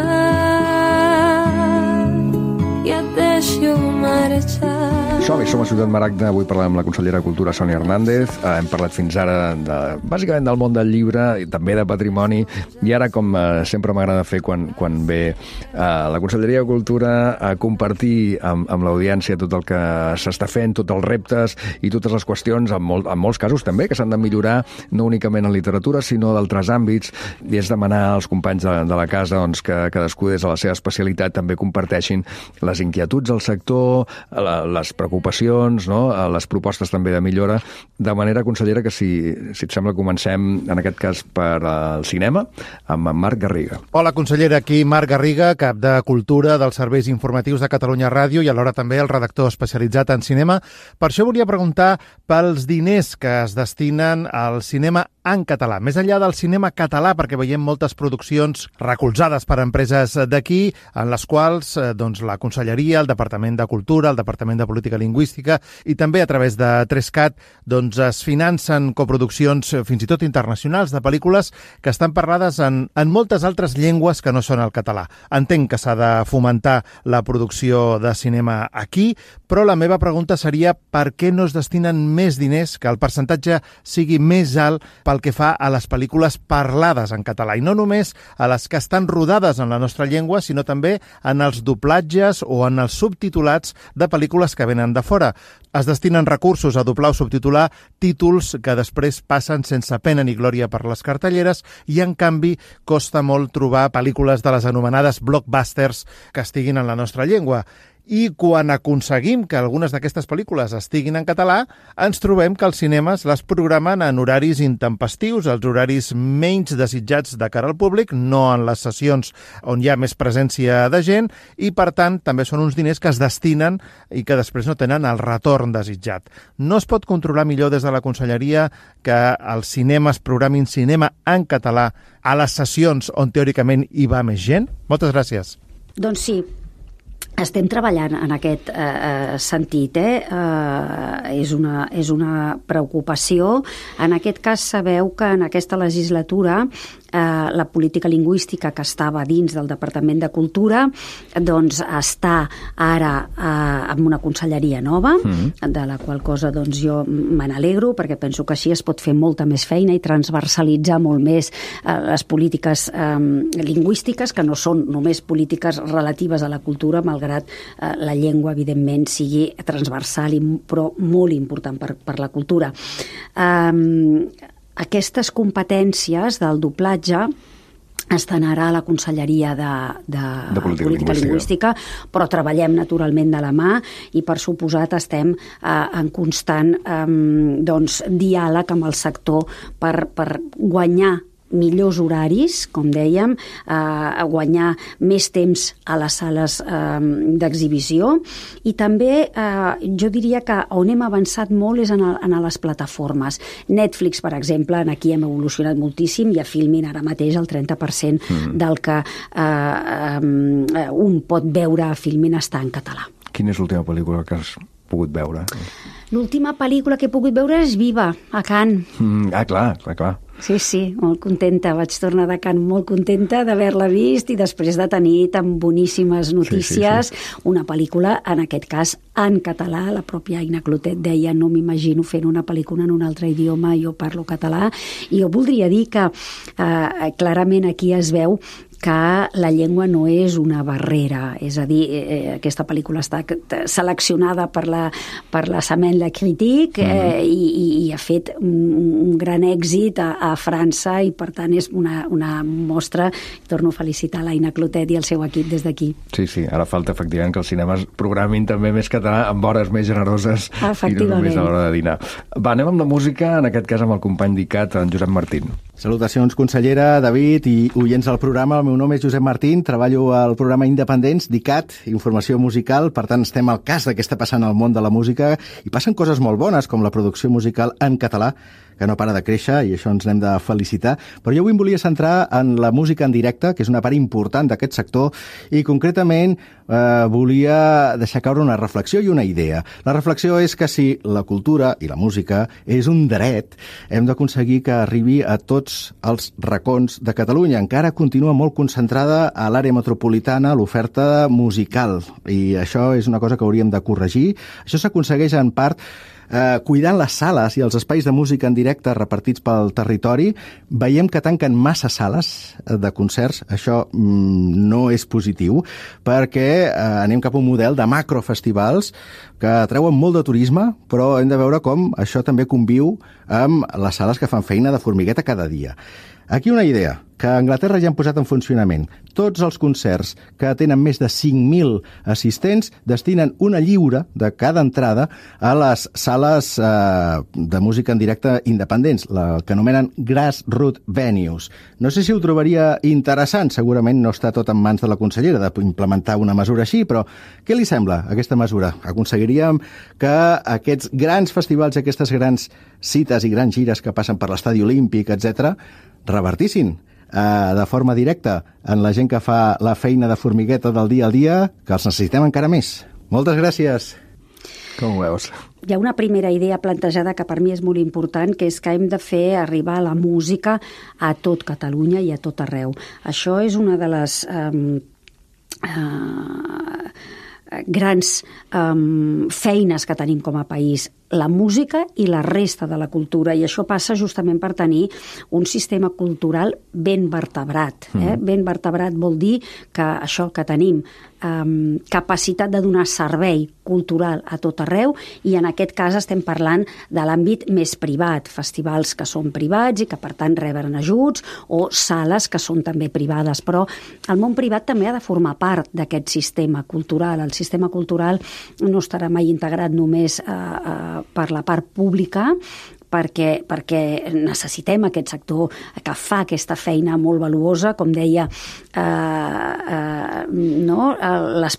i et deixo marxar. Som-hi, som a Ciutat Maragda. Avui parlem amb la consellera de Cultura, Sònia Hernández. Eh, hem parlat fins ara, de, bàsicament, del món del llibre, i també de patrimoni, i ara, com eh, sempre m'agrada fer quan, quan ve eh, la Conselleria de Cultura a compartir amb, amb l'audiència tot el que s'està fent, tots els reptes i totes les qüestions, en, molt, en molts casos també, que s'han de millorar, no únicament en literatura, sinó d'altres àmbits, i és demanar als companys de, de la casa doncs, que cadascú des de la seva especialitat també comparteixin les inquietuds del sector, la, les preocupacions, no? Les propostes també de millora, de manera, consellera, que si, si et sembla comencem, en aquest cas, per al cinema, amb en Marc Garriga. Hola, consellera, aquí Marc Garriga, cap de Cultura dels Serveis Informatius de Catalunya Ràdio, i alhora també el redactor especialitzat en cinema. Per això volia preguntar pels diners que es destinen al cinema en català. Més enllà del cinema català, perquè veiem moltes produccions recolzades per empreses d'aquí, en les quals eh, doncs, la Conselleria, el Departament de Cultura, el Departament de Política Lingüística i també a través de Trescat doncs, es financen coproduccions fins i tot internacionals de pel·lícules que estan parlades en, en moltes altres llengües que no són el català. Entenc que s'ha de fomentar la producció de cinema aquí, però la meva pregunta seria per què no es destinen més diners, que el percentatge sigui més alt pel que fa a les pel·lícules parlades en català, i no només a les que estan rodades en la nostra llengua, sinó també en els doblatges o en els subtitulats de pel·lícules que venen de fora. Es destinen recursos a doblar o subtitular títols que després passen sense pena ni glòria per les cartelleres, i en canvi costa molt trobar pel·lícules de les anomenades blockbusters que estiguin en la nostra llengua. I quan aconseguim que algunes d'aquestes pel·lícules estiguin en català, ens trobem que els cinemes les programen en horaris intempestius, els horaris menys desitjats de cara al públic, no en les sessions on hi ha més presència de gent, i per tant també són uns diners que es destinen i que després no tenen el retorn desitjat. No es pot controlar millor des de la Conselleria que els cinemes programin cinema en català a les sessions on teòricament hi va més gent? Moltes gràcies. Doncs sí, estem treballant en aquest eh, sentit. Eh? Eh, és, una, és una preocupació. En aquest cas, sabeu que en aquesta legislatura eh, la política lingüística que estava dins del Departament de Cultura doncs està ara eh, amb una conselleria nova, mm-hmm. de la qual cosa doncs, jo me n'alegro, perquè penso que així es pot fer molta més feina i transversalitzar molt més eh, les polítiques eh, lingüístiques, que no són només polítiques relatives a la cultura, malgrat eh, la llengua, evidentment, sigui transversal, i, però molt important per, per la cultura. Eh, aquestes competències del doblatge estan ara a la Conselleria de, de, de Política, Política Lingüística, però treballem naturalment de la mà, i per suposat estem eh, en constant eh, doncs, diàleg amb el sector per, per guanyar millors horaris, com dèiem, eh, a guanyar més temps a les sales eh, d'exhibició, i també eh, jo diria que on hem avançat molt és en, el, en les plataformes. Netflix, per exemple, en aquí hem evolucionat moltíssim, i a Filmin ara mateix el trenta per cent mm. del que eh, eh, un pot veure a Filmin està en català. Quina és l'última pel·lícula que has pogut veure? L'última pel·lícula que he pogut veure és Viva, a Cannes. Mm, ah, clar, clar, clar. Sí, sí, molt contenta. Vaig tornar de Cannes molt contenta d'haver-la vist i després de tenir tan boníssimes notícies. Sí, sí, sí. Una pel·lícula, en aquest cas, en català. La pròpia Aina Clotet deia no m'imagino fent una pel·lícula en un altre idioma, jo parlo català. I jo voldria dir que eh, clarament aquí es veu que la llengua no és una barrera, és a dir, eh, aquesta pel·lícula està seleccionada per la, per la Semaine de la Critique eh, i, i ha fet un, un gran èxit a, a França i per tant és una, una mostra. Torno a felicitar l'Aina Clotet i el seu equip des d'aquí. Sí, sí, ara falta efectivament que els cinemes programin també més català amb hores més generoses i no només a l'hora de dinar. Va, anem amb la música, en aquest cas amb el company d'ICAT, en Josep Martín. Salutacions, consellera, David i oients del programa. El meu nom és Josep Martín, treballo al programa Independents d'ICAT, Informació Musical, per tant estem al cas de què està passant al món de la música i passen coses molt bones com la producció musical en català, que no para de créixer i això ens n'hem de felicitar. Però jo avui em volia centrar en la música en directe, que és una part important d'aquest sector, i concretament eh, volia deixar caure una reflexió i una idea. La reflexió és que si la cultura i la música és un dret, hem d'aconseguir que arribi a tots els racons de Catalunya. Encara continua molt concentrada a l'àrea metropolitana l'oferta musical, i això és una cosa que hauríem de corregir. Això s'aconsegueix en part Eh, cuidant les sales i els espais de música en directe repartits pel territori. Veiem que tanquen massa sales de concerts. Això mm, no és positiu, perquè eh, anem cap a un model de macrofestivals que treuen molt de turisme, però hem de veure com això també conviu amb les sales que fan feina de formigueta cada dia. Aquí una idea, que a Anglaterra ja han posat en funcionament. Tots els concerts que tenen més de cinc mil assistents destinen una lliure de cada entrada a les sales eh, de música en directe independents, la que anomenen Grassroots Venues. No sé si ho trobaria interessant, segurament no està tot en mans de la consellera d'implementar una mesura així, però què li sembla aquesta mesura? Aconseguiríem que aquests grans festivals i aquestes grans cites i grans gires que passen per l'Estadi Olímpic, etcètera, revertissin eh, de forma directa en la gent que fa la feina de formigueta del dia al dia, que els necessitem encara més. Moltes gràcies. Com ho veus? Hi ha una primera idea plantejada que per mi és molt important, que és que hem de fer arribar la música a tot Catalunya i a tot arreu. Això és una de les eh, eh, grans eh, feines que tenim com a país. La música i la resta de la cultura, i això passa justament per tenir un sistema cultural ben vertebrat. Eh? Mm. Ben vertebrat vol dir que això que tenim, eh, capacitat de donar servei cultural a tot arreu, i en aquest cas estem parlant de l'àmbit més privat, festivals que són privats i que per tant reben ajuts, o sales que són també privades, però el món privat també ha de formar part d'aquest sistema cultural. El sistema cultural no estarà mai integrat només a, a per la part pública, perquè, perquè necessitem aquest sector que fa aquesta feina molt valuosa, com deia, eh, eh, no? les,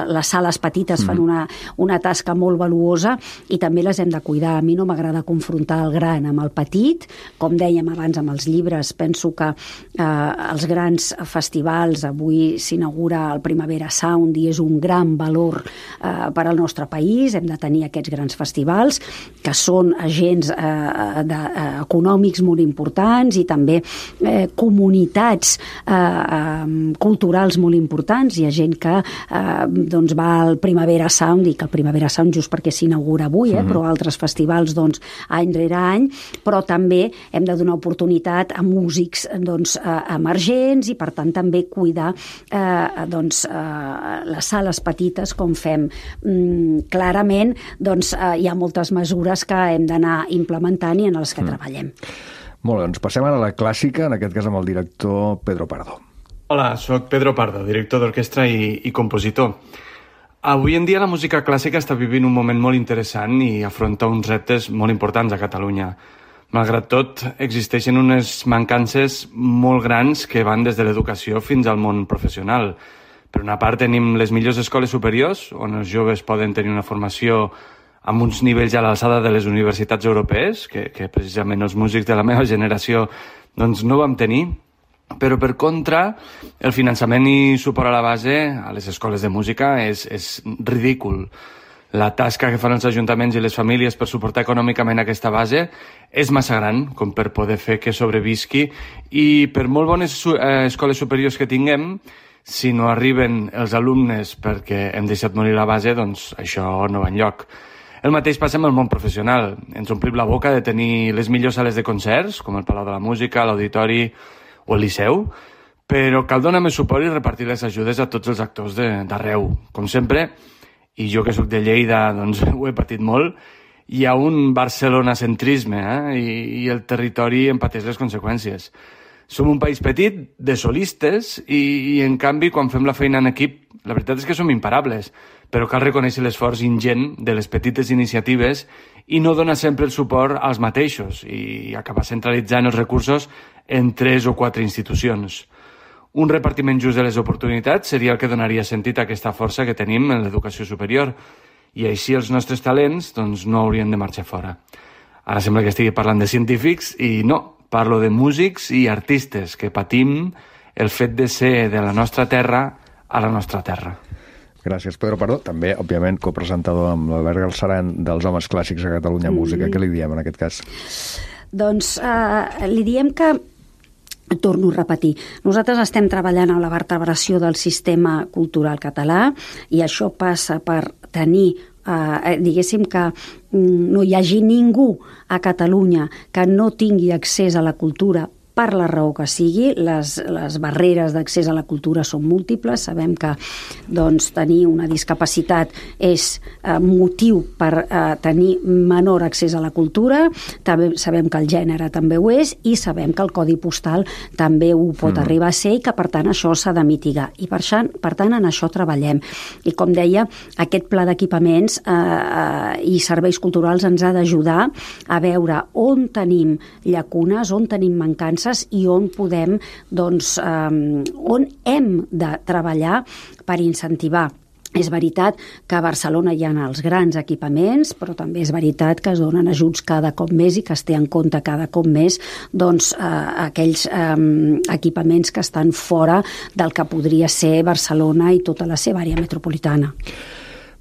les sales petites fan una, una tasca molt valuosa i també les hem de cuidar. A mi no m'agrada confrontar el gran amb el petit, com dèiem abans amb els llibres. Penso que eh, els grans festivals, avui s'inaugura el Primavera Sound i és un gran valor eh, per al nostre país. Hem de tenir aquests grans festivals que són agents eh, De, eh, econòmics molt importants i també eh, comunitats eh, eh, culturals molt importants. Hi ha gent que eh, doncs va al Primavera Sound, i que el Primavera Sound just perquè s'inaugura avui, eh, uh-huh. però altres festivals doncs, any rere any, però també hem de donar oportunitat a músics doncs, eh, emergents i per tant també cuidar eh, doncs, eh, les sales petites com fem. Mm, clarament doncs, eh, hi ha moltes mesures que hem d'anar implementant i en els que mm. treballem. Molt bé, doncs passem ara a la clàssica, en aquest cas amb el director Pedro Pardo. Hola, sóc Pedro Pardo, director d'orquestra i, i compositor. Avui en dia la música clàssica està vivint un moment molt interessant i afronta uns reptes molt importants a Catalunya. Malgrat tot, existeixen unes mancances molt grans que van des de l'educació fins al món professional. Per una part tenim les millors escoles superiors, on els joves poden tenir una formació amb uns nivells a l'alçada de les universitats europees, que, que precisament els músics de la meva generació doncs, no vam tenir. Però, per contra, el finançament i suport a la base a les escoles de música és, és ridícul. La tasca que fan els ajuntaments i les famílies per suportar econòmicament aquesta base és massa gran com per poder fer que sobrevisqui, i per molt bones eh, escoles superiors que tinguem, si no arriben els alumnes perquè hem deixat morir la base, doncs això no va enlloc. El mateix passa amb el món professional. Ens omplim la boca de tenir les millors sales de concerts, com el Palau de la Música, l'Auditori o el Liceu, però cal donar més suport i repartir les ajudes a tots els actors d'arreu. Com sempre, i jo que sóc de Lleida doncs ho he patit molt, hi ha un barcelonacentrisme eh? I, i el territori en pateix les conseqüències. Som un país petit, de solistes, i, i en canvi quan fem la feina en equip, la veritat és que som imparables, però cal reconèixer l'esforç ingent de les petites iniciatives i no donar sempre el suport als mateixos i acabar centralitzant els recursos en tres o quatre institucions. Un repartiment just de les oportunitats seria el que donaria sentit a aquesta força que tenim en l'educació superior, i així els nostres talents doncs, no haurien de marxar fora. Ara sembla que estigui parlant de científics, i no, parlo de músics i artistes que patim el fet de ser de la nostra terra a la nostra terra. Gràcies, Pedro Pardo. També, òbviament, copresentador amb l'Albert Galceran dels Homes Clàssics a Catalunya Música. Mm. Què li diem en aquest cas? Doncs eh, li diem que torno a repetir. Nosaltres estem treballant en la vertebració del sistema cultural català, i això passa per tenir, eh, diguéssim que no hi hagi ningú a Catalunya que no tingui accés a la cultura per la raó que sigui. Les, les barreres d'accés a la cultura són múltiples. Sabem que doncs, tenir una discapacitat és eh, motiu per eh, tenir menor accés a la cultura. També sabem que el gènere també ho és, i sabem que el codi postal també ho pot mm. arribar a ser, i que per tant això s'ha de mitigar. I per, això, per tant en això treballem. I com deia, aquest pla d'equipaments eh, eh, i serveis culturals ens ha d'ajudar a veure on tenim llacunes, on tenim mancances, i on podem, doncs, eh, on hem de treballar per incentivar. És veritat que a Barcelona hi ha els grans equipaments, però també és veritat que es donen ajuts cada cop més i que es té en compte cada cop més doncs, eh, aquells eh, equipaments que estan fora del que podria ser Barcelona i tota la seva àrea metropolitana.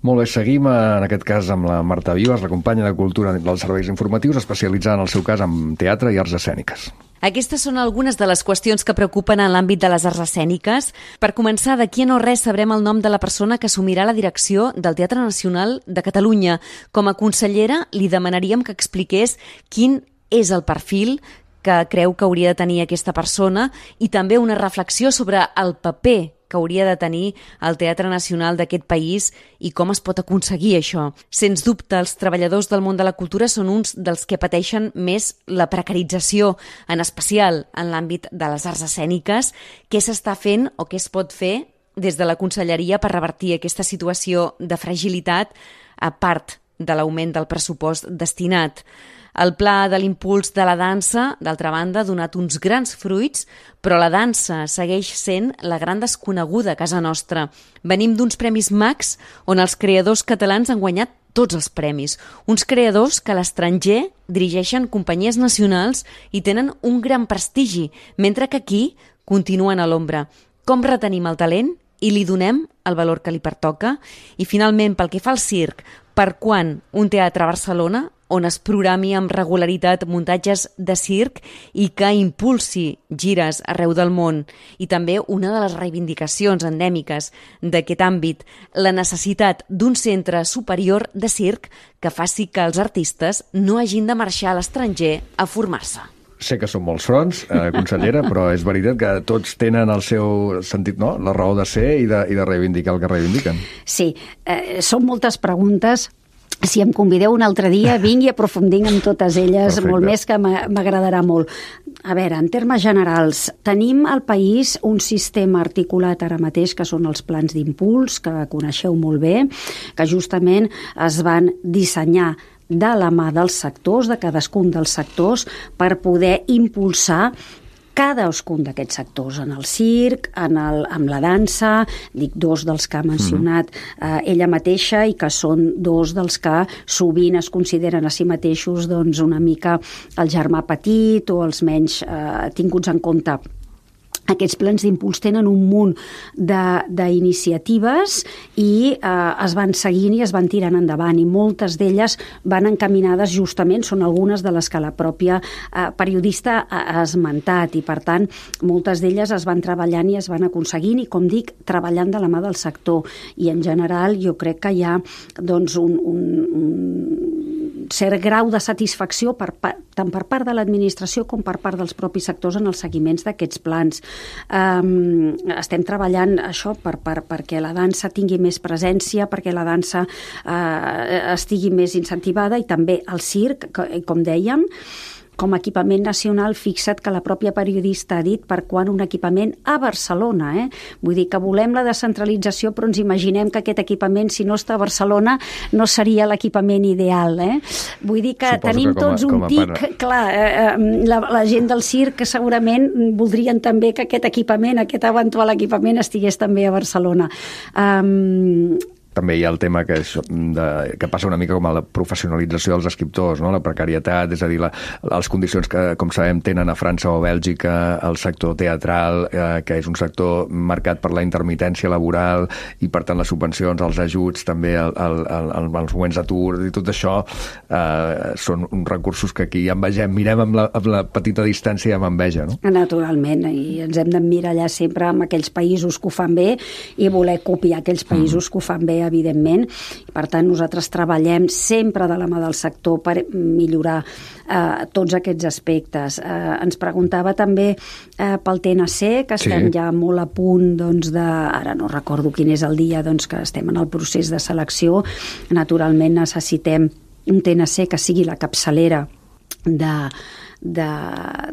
Molt bé, seguim en aquest cas amb la Marta Vives, la companya de Cultura dels Serveis Informatius, especialitzada en el seu cas en teatre i arts escèniques. Aquestes són algunes de les qüestions que preocupen en l'àmbit de les arts escèniques. Per començar, d'aquí a no res sabrem el nom de la persona que assumirà la direcció del Teatre Nacional de Catalunya. Com a consellera, li demanaríem que expliqués quin és el perfil que creu que hauria de tenir aquesta persona, i també una reflexió sobre el paper que hauria de tenir el Teatre Nacional d'aquest país i com es pot aconseguir això. Sens dubte, els treballadors del món de la cultura són uns dels que pateixen més la precarització, en especial en l'àmbit de les arts escèniques. Què s'està fent o què es pot fer des de la Conselleria per revertir aquesta situació de fragilitat, a part de l'augment del pressupost destinat? El pla de l'impuls de la dansa, d'altra banda, ha donat uns grans fruits, però la dansa segueix sent la gran desconeguda a casa nostra. Venim d'uns Premis Max on els creadors catalans han guanyat tots els premis. Uns creadors que a l'estranger dirigeixen companyies nacionals i tenen un gran prestigi, mentre que aquí continuen a l'ombra. Com retenim el talent i li donem el valor que li pertoca? I finalment, pel que fa al circ, per quan un teatre a Barcelona on es programi amb regularitat muntatges de circ i que impulsi gires arreu del món? I també una de les reivindicacions endèmiques d'aquest àmbit, la necessitat d'un centre superior de circ que faci que els artistes no hagin de marxar a l'estranger a formar-se. Sé que són molts fronts, eh, consellera, però és veritat que tots tenen el seu sentit, no?, la raó de ser i de, i de reivindicar el que reivindiquen. Sí, eh, són moltes preguntes. Si em convideu un altre dia, vinc i aprofundim en totes elles. Perfecte. Molt més, que m'agradarà molt. A veure, en termes generals, tenim al país un sistema articulat ara mateix, que són els plans d'impuls, que coneixeu molt bé, que justament es van dissenyar de la mà dels sectors, de cadascun dels sectors, per poder impulsar cadascun d'aquests sectors, en el circ, en el, amb la dansa, dic dos dels que ha mencionat eh, ella mateixa, i que són dos dels que sovint es consideren a si mateixos doncs, una mica el germà petit o els menys eh, tinguts en compte. Aquests plans d'impuls tenen un munt d'iniciatives i eh, es van seguint i es van tirant endavant, i moltes d'elles van encaminades justament, són algunes de les que la pròpia eh, periodista ha esmentat, i per tant moltes d'elles es van treballant i es van aconseguint, i com dic, treballant de la mà del sector, i en general jo crec que hi ha doncs, un, un, un cert grau de satisfacció per, tant per part de l'administració com per part dels propis sectors en els seguiments d'aquests plans. Um, estem treballant això per, per, perquè la dansa tingui més presència, perquè la dansa uh, estigui més incentivada, i també el circ, com dèiem, com a equipament nacional. Fixa't que la pròpia periodista ha dit per quan un equipament a Barcelona. Eh? Vull dir que volem la descentralització, però ens imaginem que aquest equipament, si no està a Barcelona, no seria l'equipament ideal. Eh? Vull dir que Suposo tenim que com a, tots un tic. Part... Clar, eh, la, la gent del circ segurament voldrien també que aquest equipament, aquest eventual equipament, estigués també a Barcelona. Um, També hi ha el tema que, és de, que passa una mica com a la professionalització dels escriptors, no? La precarietat, és a dir, la, les condicions que, com sabem, tenen a França o a Bèlgica, el sector teatral, eh, que és un sector marcat per la intermitència laboral, i per tant les subvencions, els ajuts, també el, el, el, el, els moments d'atur, i tot això eh, són uns recursos que aquí envegem, mirem amb la, amb la petita distància amb enveja, no? Naturalment, i ens hem d'emmirallar sempre amb aquells països que ho fan bé i voler copiar aquells països mm. que ho fan bé, evidentment. Per tant, nosaltres treballem sempre de la mà del sector per millorar eh, tots aquests aspectes. Eh, ens preguntava també eh, pel T N C, que estem sí. ja molt a punt, doncs, de... Ara no recordo quin és el dia, doncs, que estem en el procés de selecció. Naturalment necessitem un T N C que sigui la capçalera de... De,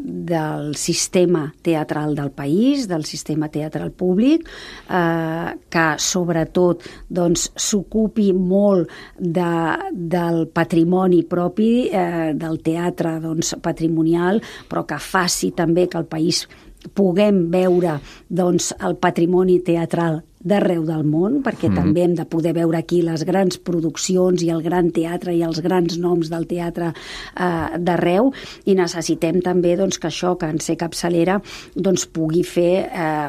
del sistema teatral del país, del sistema teatral públic, eh, que sobretot doncs, s'ocupi molt de, del patrimoni propi eh, del teatre doncs, patrimonial, però que faci també que el país puguem veure doncs, el patrimoni teatral d'arreu del món, perquè mm. també hem de poder veure aquí les grans produccions i el gran teatre i els grans noms del teatre eh, d'arreu, i necessitem també doncs, que això, que en ser capçalera, doncs, pugui fer eh,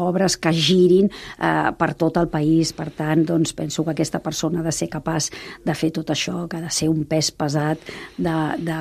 obres que girin eh, per tot el país. Per tant, doncs, penso que aquesta persona ha de ser capaç de fer tot això, que ha de ser un pes pesat de, de,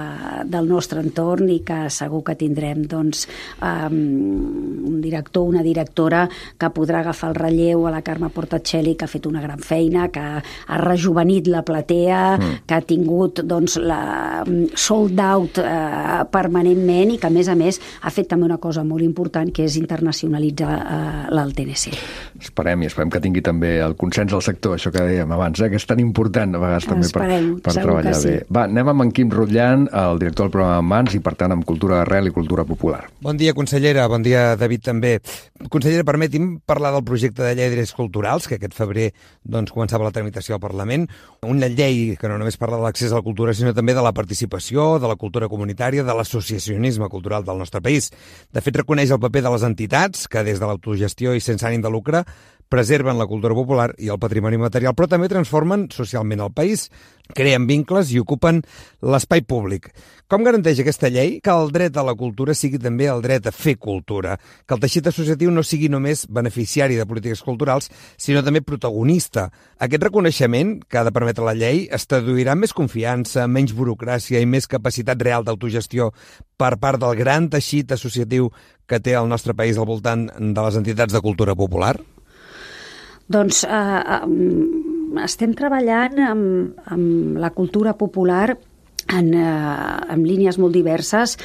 del nostre entorn, i que segur que tindrem doncs, eh, un director, una directora que podrà agafar el relleu, a la Carme Portacelli, que ha fet una gran feina, que ha rejuvenit la platea, mm. que ha tingut doncs, la sold out eh, permanentment, i que a més a més ha fet també una cosa molt important, que és internacionalitzar eh, l'A T N C. Esperem, i esperem que tingui també el consens del sector, això que dèiem abans, eh, que és tan important a vegades també Esperem, per, per treballar sí. bé. Va, anem amb en Quim Rutllan, el director del programa Mans, i per tant amb cultura d'arrel i cultura popular. Bon dia, consellera. Bon dia, David, també. Consellera, permeti'm parlar del projecte de llei de drets culturals, que aquest febrer doncs, començava la tramitació al Parlament. Una llei que no només parla de l'accés a la cultura, sinó també de la participació, de la cultura comunitària, de l'associacionisme cultural del nostre país. De fet, reconeix el paper de les entitats, que des de l'autogestió i sense ànim de lucre preserven la cultura popular i el patrimoni material, però també transformen socialment el país, creen vincles i ocupen l'espai públic. Com garanteix aquesta llei que el dret a la cultura sigui també el dret a fer cultura, que el teixit associatiu no sigui només beneficiari de polítiques culturals, sinó també protagonista? Aquest reconeixement que ha de permetre la llei es traduirà en més confiança, menys burocràcia i més capacitat real d'autogestió per part del gran teixit associatiu que té el nostre país al voltant de les entitats de cultura popular? Doncs eh, eh, estem treballant amb, amb la cultura popular en, eh, en línies molt diverses.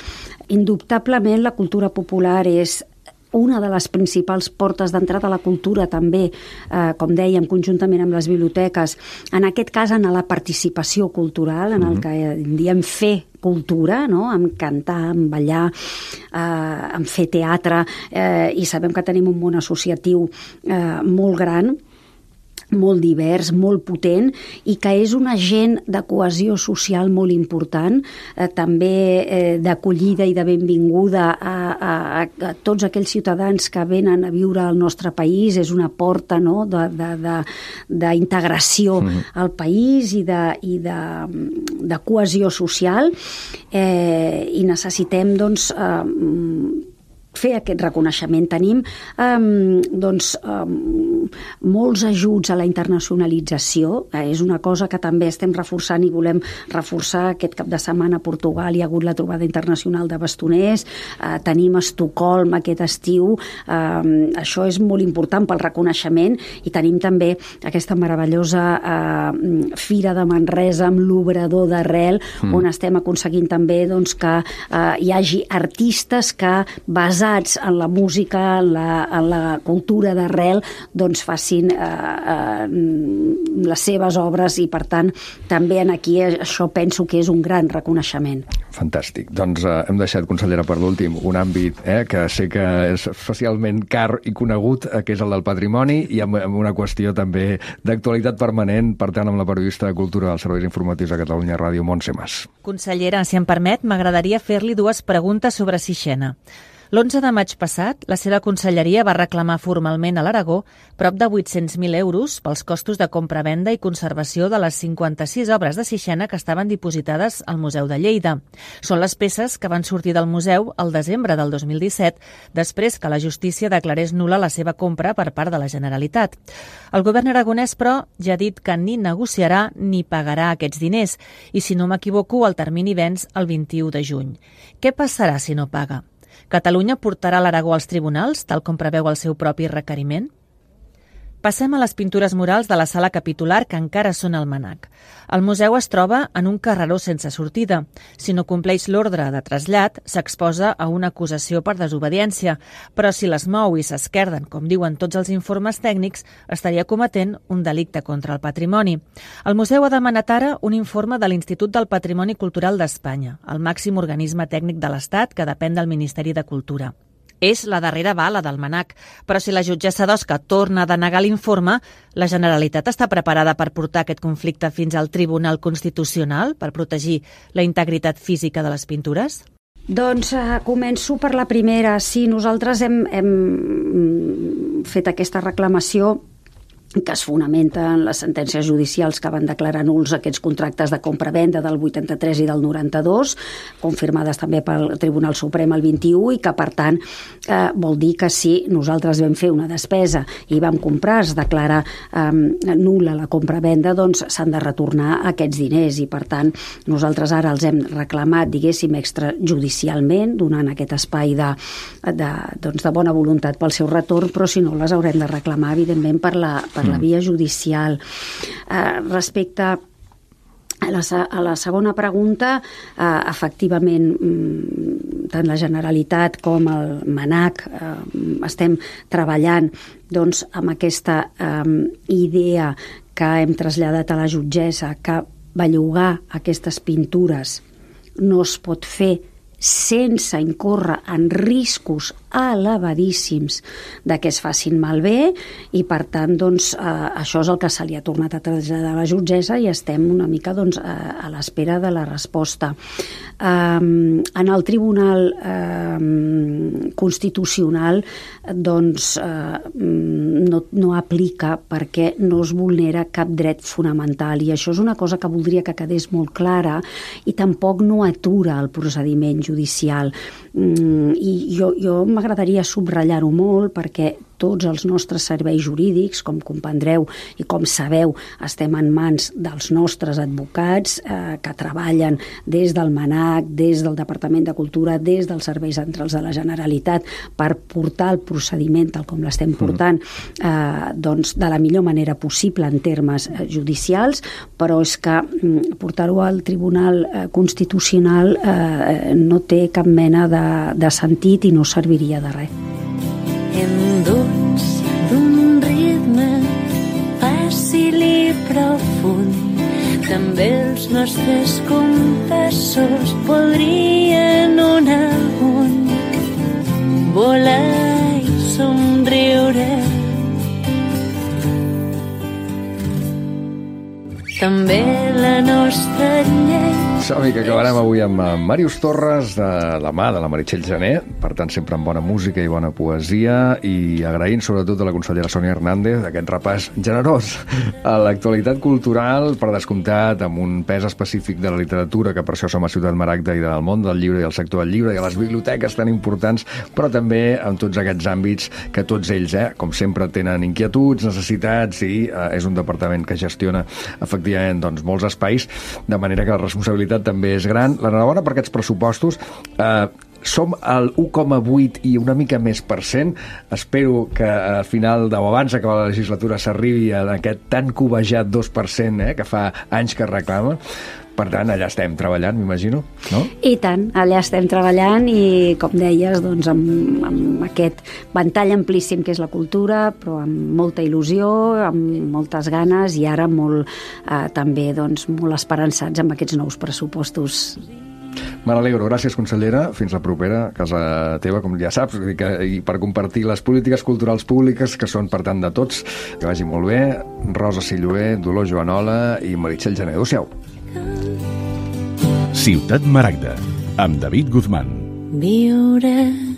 Indubtablement la cultura popular és una de les principals portes d'entrada a la cultura també, eh, com dèiem, conjuntament amb les biblioteques, en aquest cas en la participació cultural, en el que en diem fer cultura, no? En cantar, en ballar, eh, en fer teatre, eh, i sabem que tenim un món associatiu eh, molt gran, molt divers, molt potent, i que és un agent de cohesió social molt important, eh, també eh, d'acollida i de benvinguda a, a, a tots aquells ciutadans que venen a viure al nostre país. És una porta, no?, d'integració mm-hmm. al país i de, i de, de cohesió social, eh, i necessitem doncs, eh, fer aquest reconeixement. Tenim um, doncs, um, molts ajuts a la internacionalització, eh, és una cosa que també estem reforçant i volem reforçar. Aquest cap de setmana a Portugal hi ha hagut la trobada internacional de bastoners, eh, tenim Estocolm aquest estiu, eh, això és molt important pel reconeixement, i tenim també aquesta meravellosa eh, Fira de Manresa amb l'Obrador d'Arrel, mm. on estem aconseguint també doncs, que eh, hi hagi artistes que, basats en la música, en la, en la cultura d'arrel, doncs facin eh, eh, les seves obres, i per tant també en aquí això penso que és un gran reconeixement. Fantàstic. Doncs eh, hem deixat, consellera, per l'últim un àmbit eh, que sé que és especialment car i conegut, eh, que és el del patrimoni, i amb, amb una qüestió també d'actualitat permanent, per tant, amb la periodista de Cultura dels Serveis Informatius de Catalunya Ràdio, Montse Mas. Consellera, si em permet, m'agradaria fer-li dues preguntes sobre Sixena. L'onze de maig passat, la seva conselleria va reclamar formalment a l'Aragó prop de vuit-cents mil euros pels costos de compra-venda i conservació de les cinquanta-sis obres de Sixena que estaven dipositades al Museu de Lleida. Són les peces que van sortir del museu el desembre del dos mil disset, després que la justícia declarés nul·la la seva compra per part de la Generalitat. El govern aragonès, però, ja ha dit que ni negociarà ni pagarà aquests diners, i si no m'equivoco, el termini venç el vint-i-u de juny. Què passarà si no paga? Catalunya portarà l'Aragó als tribunals, tal com preveu el seu propi requeriment? Passem a les pintures murals de la sala capitular, que encara són al MNAC. El museu es troba en un carreró sense sortida. Si no compleix l'ordre de trasllat, s'exposa a una acusació per desobediència, però si les mou i s'esquerden, com diuen tots els informes tècnics, estaria cometent un delicte contra el patrimoni. El museu ha demanat ara un informe de l'Institut del Patrimoni Cultural d'Espanya, el màxim organisme tècnic de l'Estat que depèn del Ministeri de Cultura. És la darrera bala del MNAC, però si la jutgessa d'Osca torna a denegar l'informe, la Generalitat està preparada per portar aquest conflicte fins al Tribunal Constitucional per protegir la integritat física de les pintures? Doncs eh, començo per la primera. Sí, nosaltres hem, hem fet aquesta reclamació que es fonamenta en les sentències judicials que van declarar nuls aquests contractes de compra-venda del vuitanta-tres i del noranta-dos, confirmades també pel Tribunal Suprem el vint-i-u, i que, per tant, eh, vol dir que si nosaltres vam fer una despesa i vam comprar, es declara eh, nul·la la compra-venda, doncs s'han de retornar aquests diners, i, per tant, nosaltres ara els hem reclamat, diguéssim, extrajudicialment, donant aquest espai de, de, doncs, de bona voluntat pel seu retorn, però si no les haurem de reclamar, evidentment, per la, per la via judicial. Eh, respecte a la, a la segona pregunta, eh, efectivament, tant la Generalitat com el MNAC eh, estem treballant doncs, amb aquesta eh, idea que hem traslladat a la jutgessa, que bellugar aquestes pintures no es pot fer sense incórrer en riscos elevadíssims de que es facin malbé, i per tant doncs, eh, això és el que se li ha tornat a traslladar a la jutgessa, i estem una mica doncs, a, a l'espera de la resposta. Eh, en el Tribunal eh, Constitucional doncs, eh, no, no aplica, perquè no es vulnera cap dret fonamental, i això és una cosa que voldria que quedés molt clara, i tampoc no atura el procediment judicial judicial. Mm, i jo, jo m'agradaria subratllar-ho molt, perquè tots els nostres serveis jurídics, com comprendreu i com sabeu, estem en mans dels nostres advocats eh, que treballen des del MNAC, des del Departament de Cultura, des dels serveis centrals de la Generalitat, per portar el procediment tal com l'estem portant eh, doncs, de la millor manera possible en termes eh, judicials, però és que mm, portar-ho al Tribunal eh, Constitucional eh, no té cap mena de, de sentit i no serviria de res. Enduts d'un ritme fàcil i profund, també els nostres compassos podrien un a un volar i somriure. També la nostra llei Som-hi, que acabarem avui amb Màrius Torres, de la mà de la Meritxell Gené, per tant sempre amb bona música i bona poesia, i agraint sobretot a la consellera Sònia Hernández aquest repàs generós a l'actualitat cultural, per descomptat, amb un pes específic de la literatura, que per això som a Ciutat Maragda, i del món del llibre i el sector del llibre i a les biblioteques tan importants, però també en tots aquests àmbits que tots ells, eh, com sempre, tenen inquietuds, necessitats, i eh, és un departament que gestiona efectivament doncs, molts espais, de manera que la responsabilitat també és gran. L'enhorabona per aquests pressupostos. Eh, som al u coma vuit i una mica més per cent. Espero que al final o abans d'acabar la legislatura s'arribi a aquest tan cobejat dos per cent eh, que fa anys que reclama. Per tant, allà estem treballant, m'imagino, no? I tant, allà estem treballant i, com deies, doncs, amb, amb aquest ventall amplíssim que és la cultura, però amb molta il·lusió, amb moltes ganes i ara molt, eh, també doncs, molt esperançats amb aquests nous pressupostos. Me n'alegro. Gràcies, consellera. Fins la propera, casa teva, com ja saps, i per compartir les polítiques culturals públiques que són per tant de tots. Que vagi molt bé. Rosa Silloé, Dolors Joanola i Meritxell Gené. Adéu-siau. Ciutat Maragda, amb David Guzmán. Viure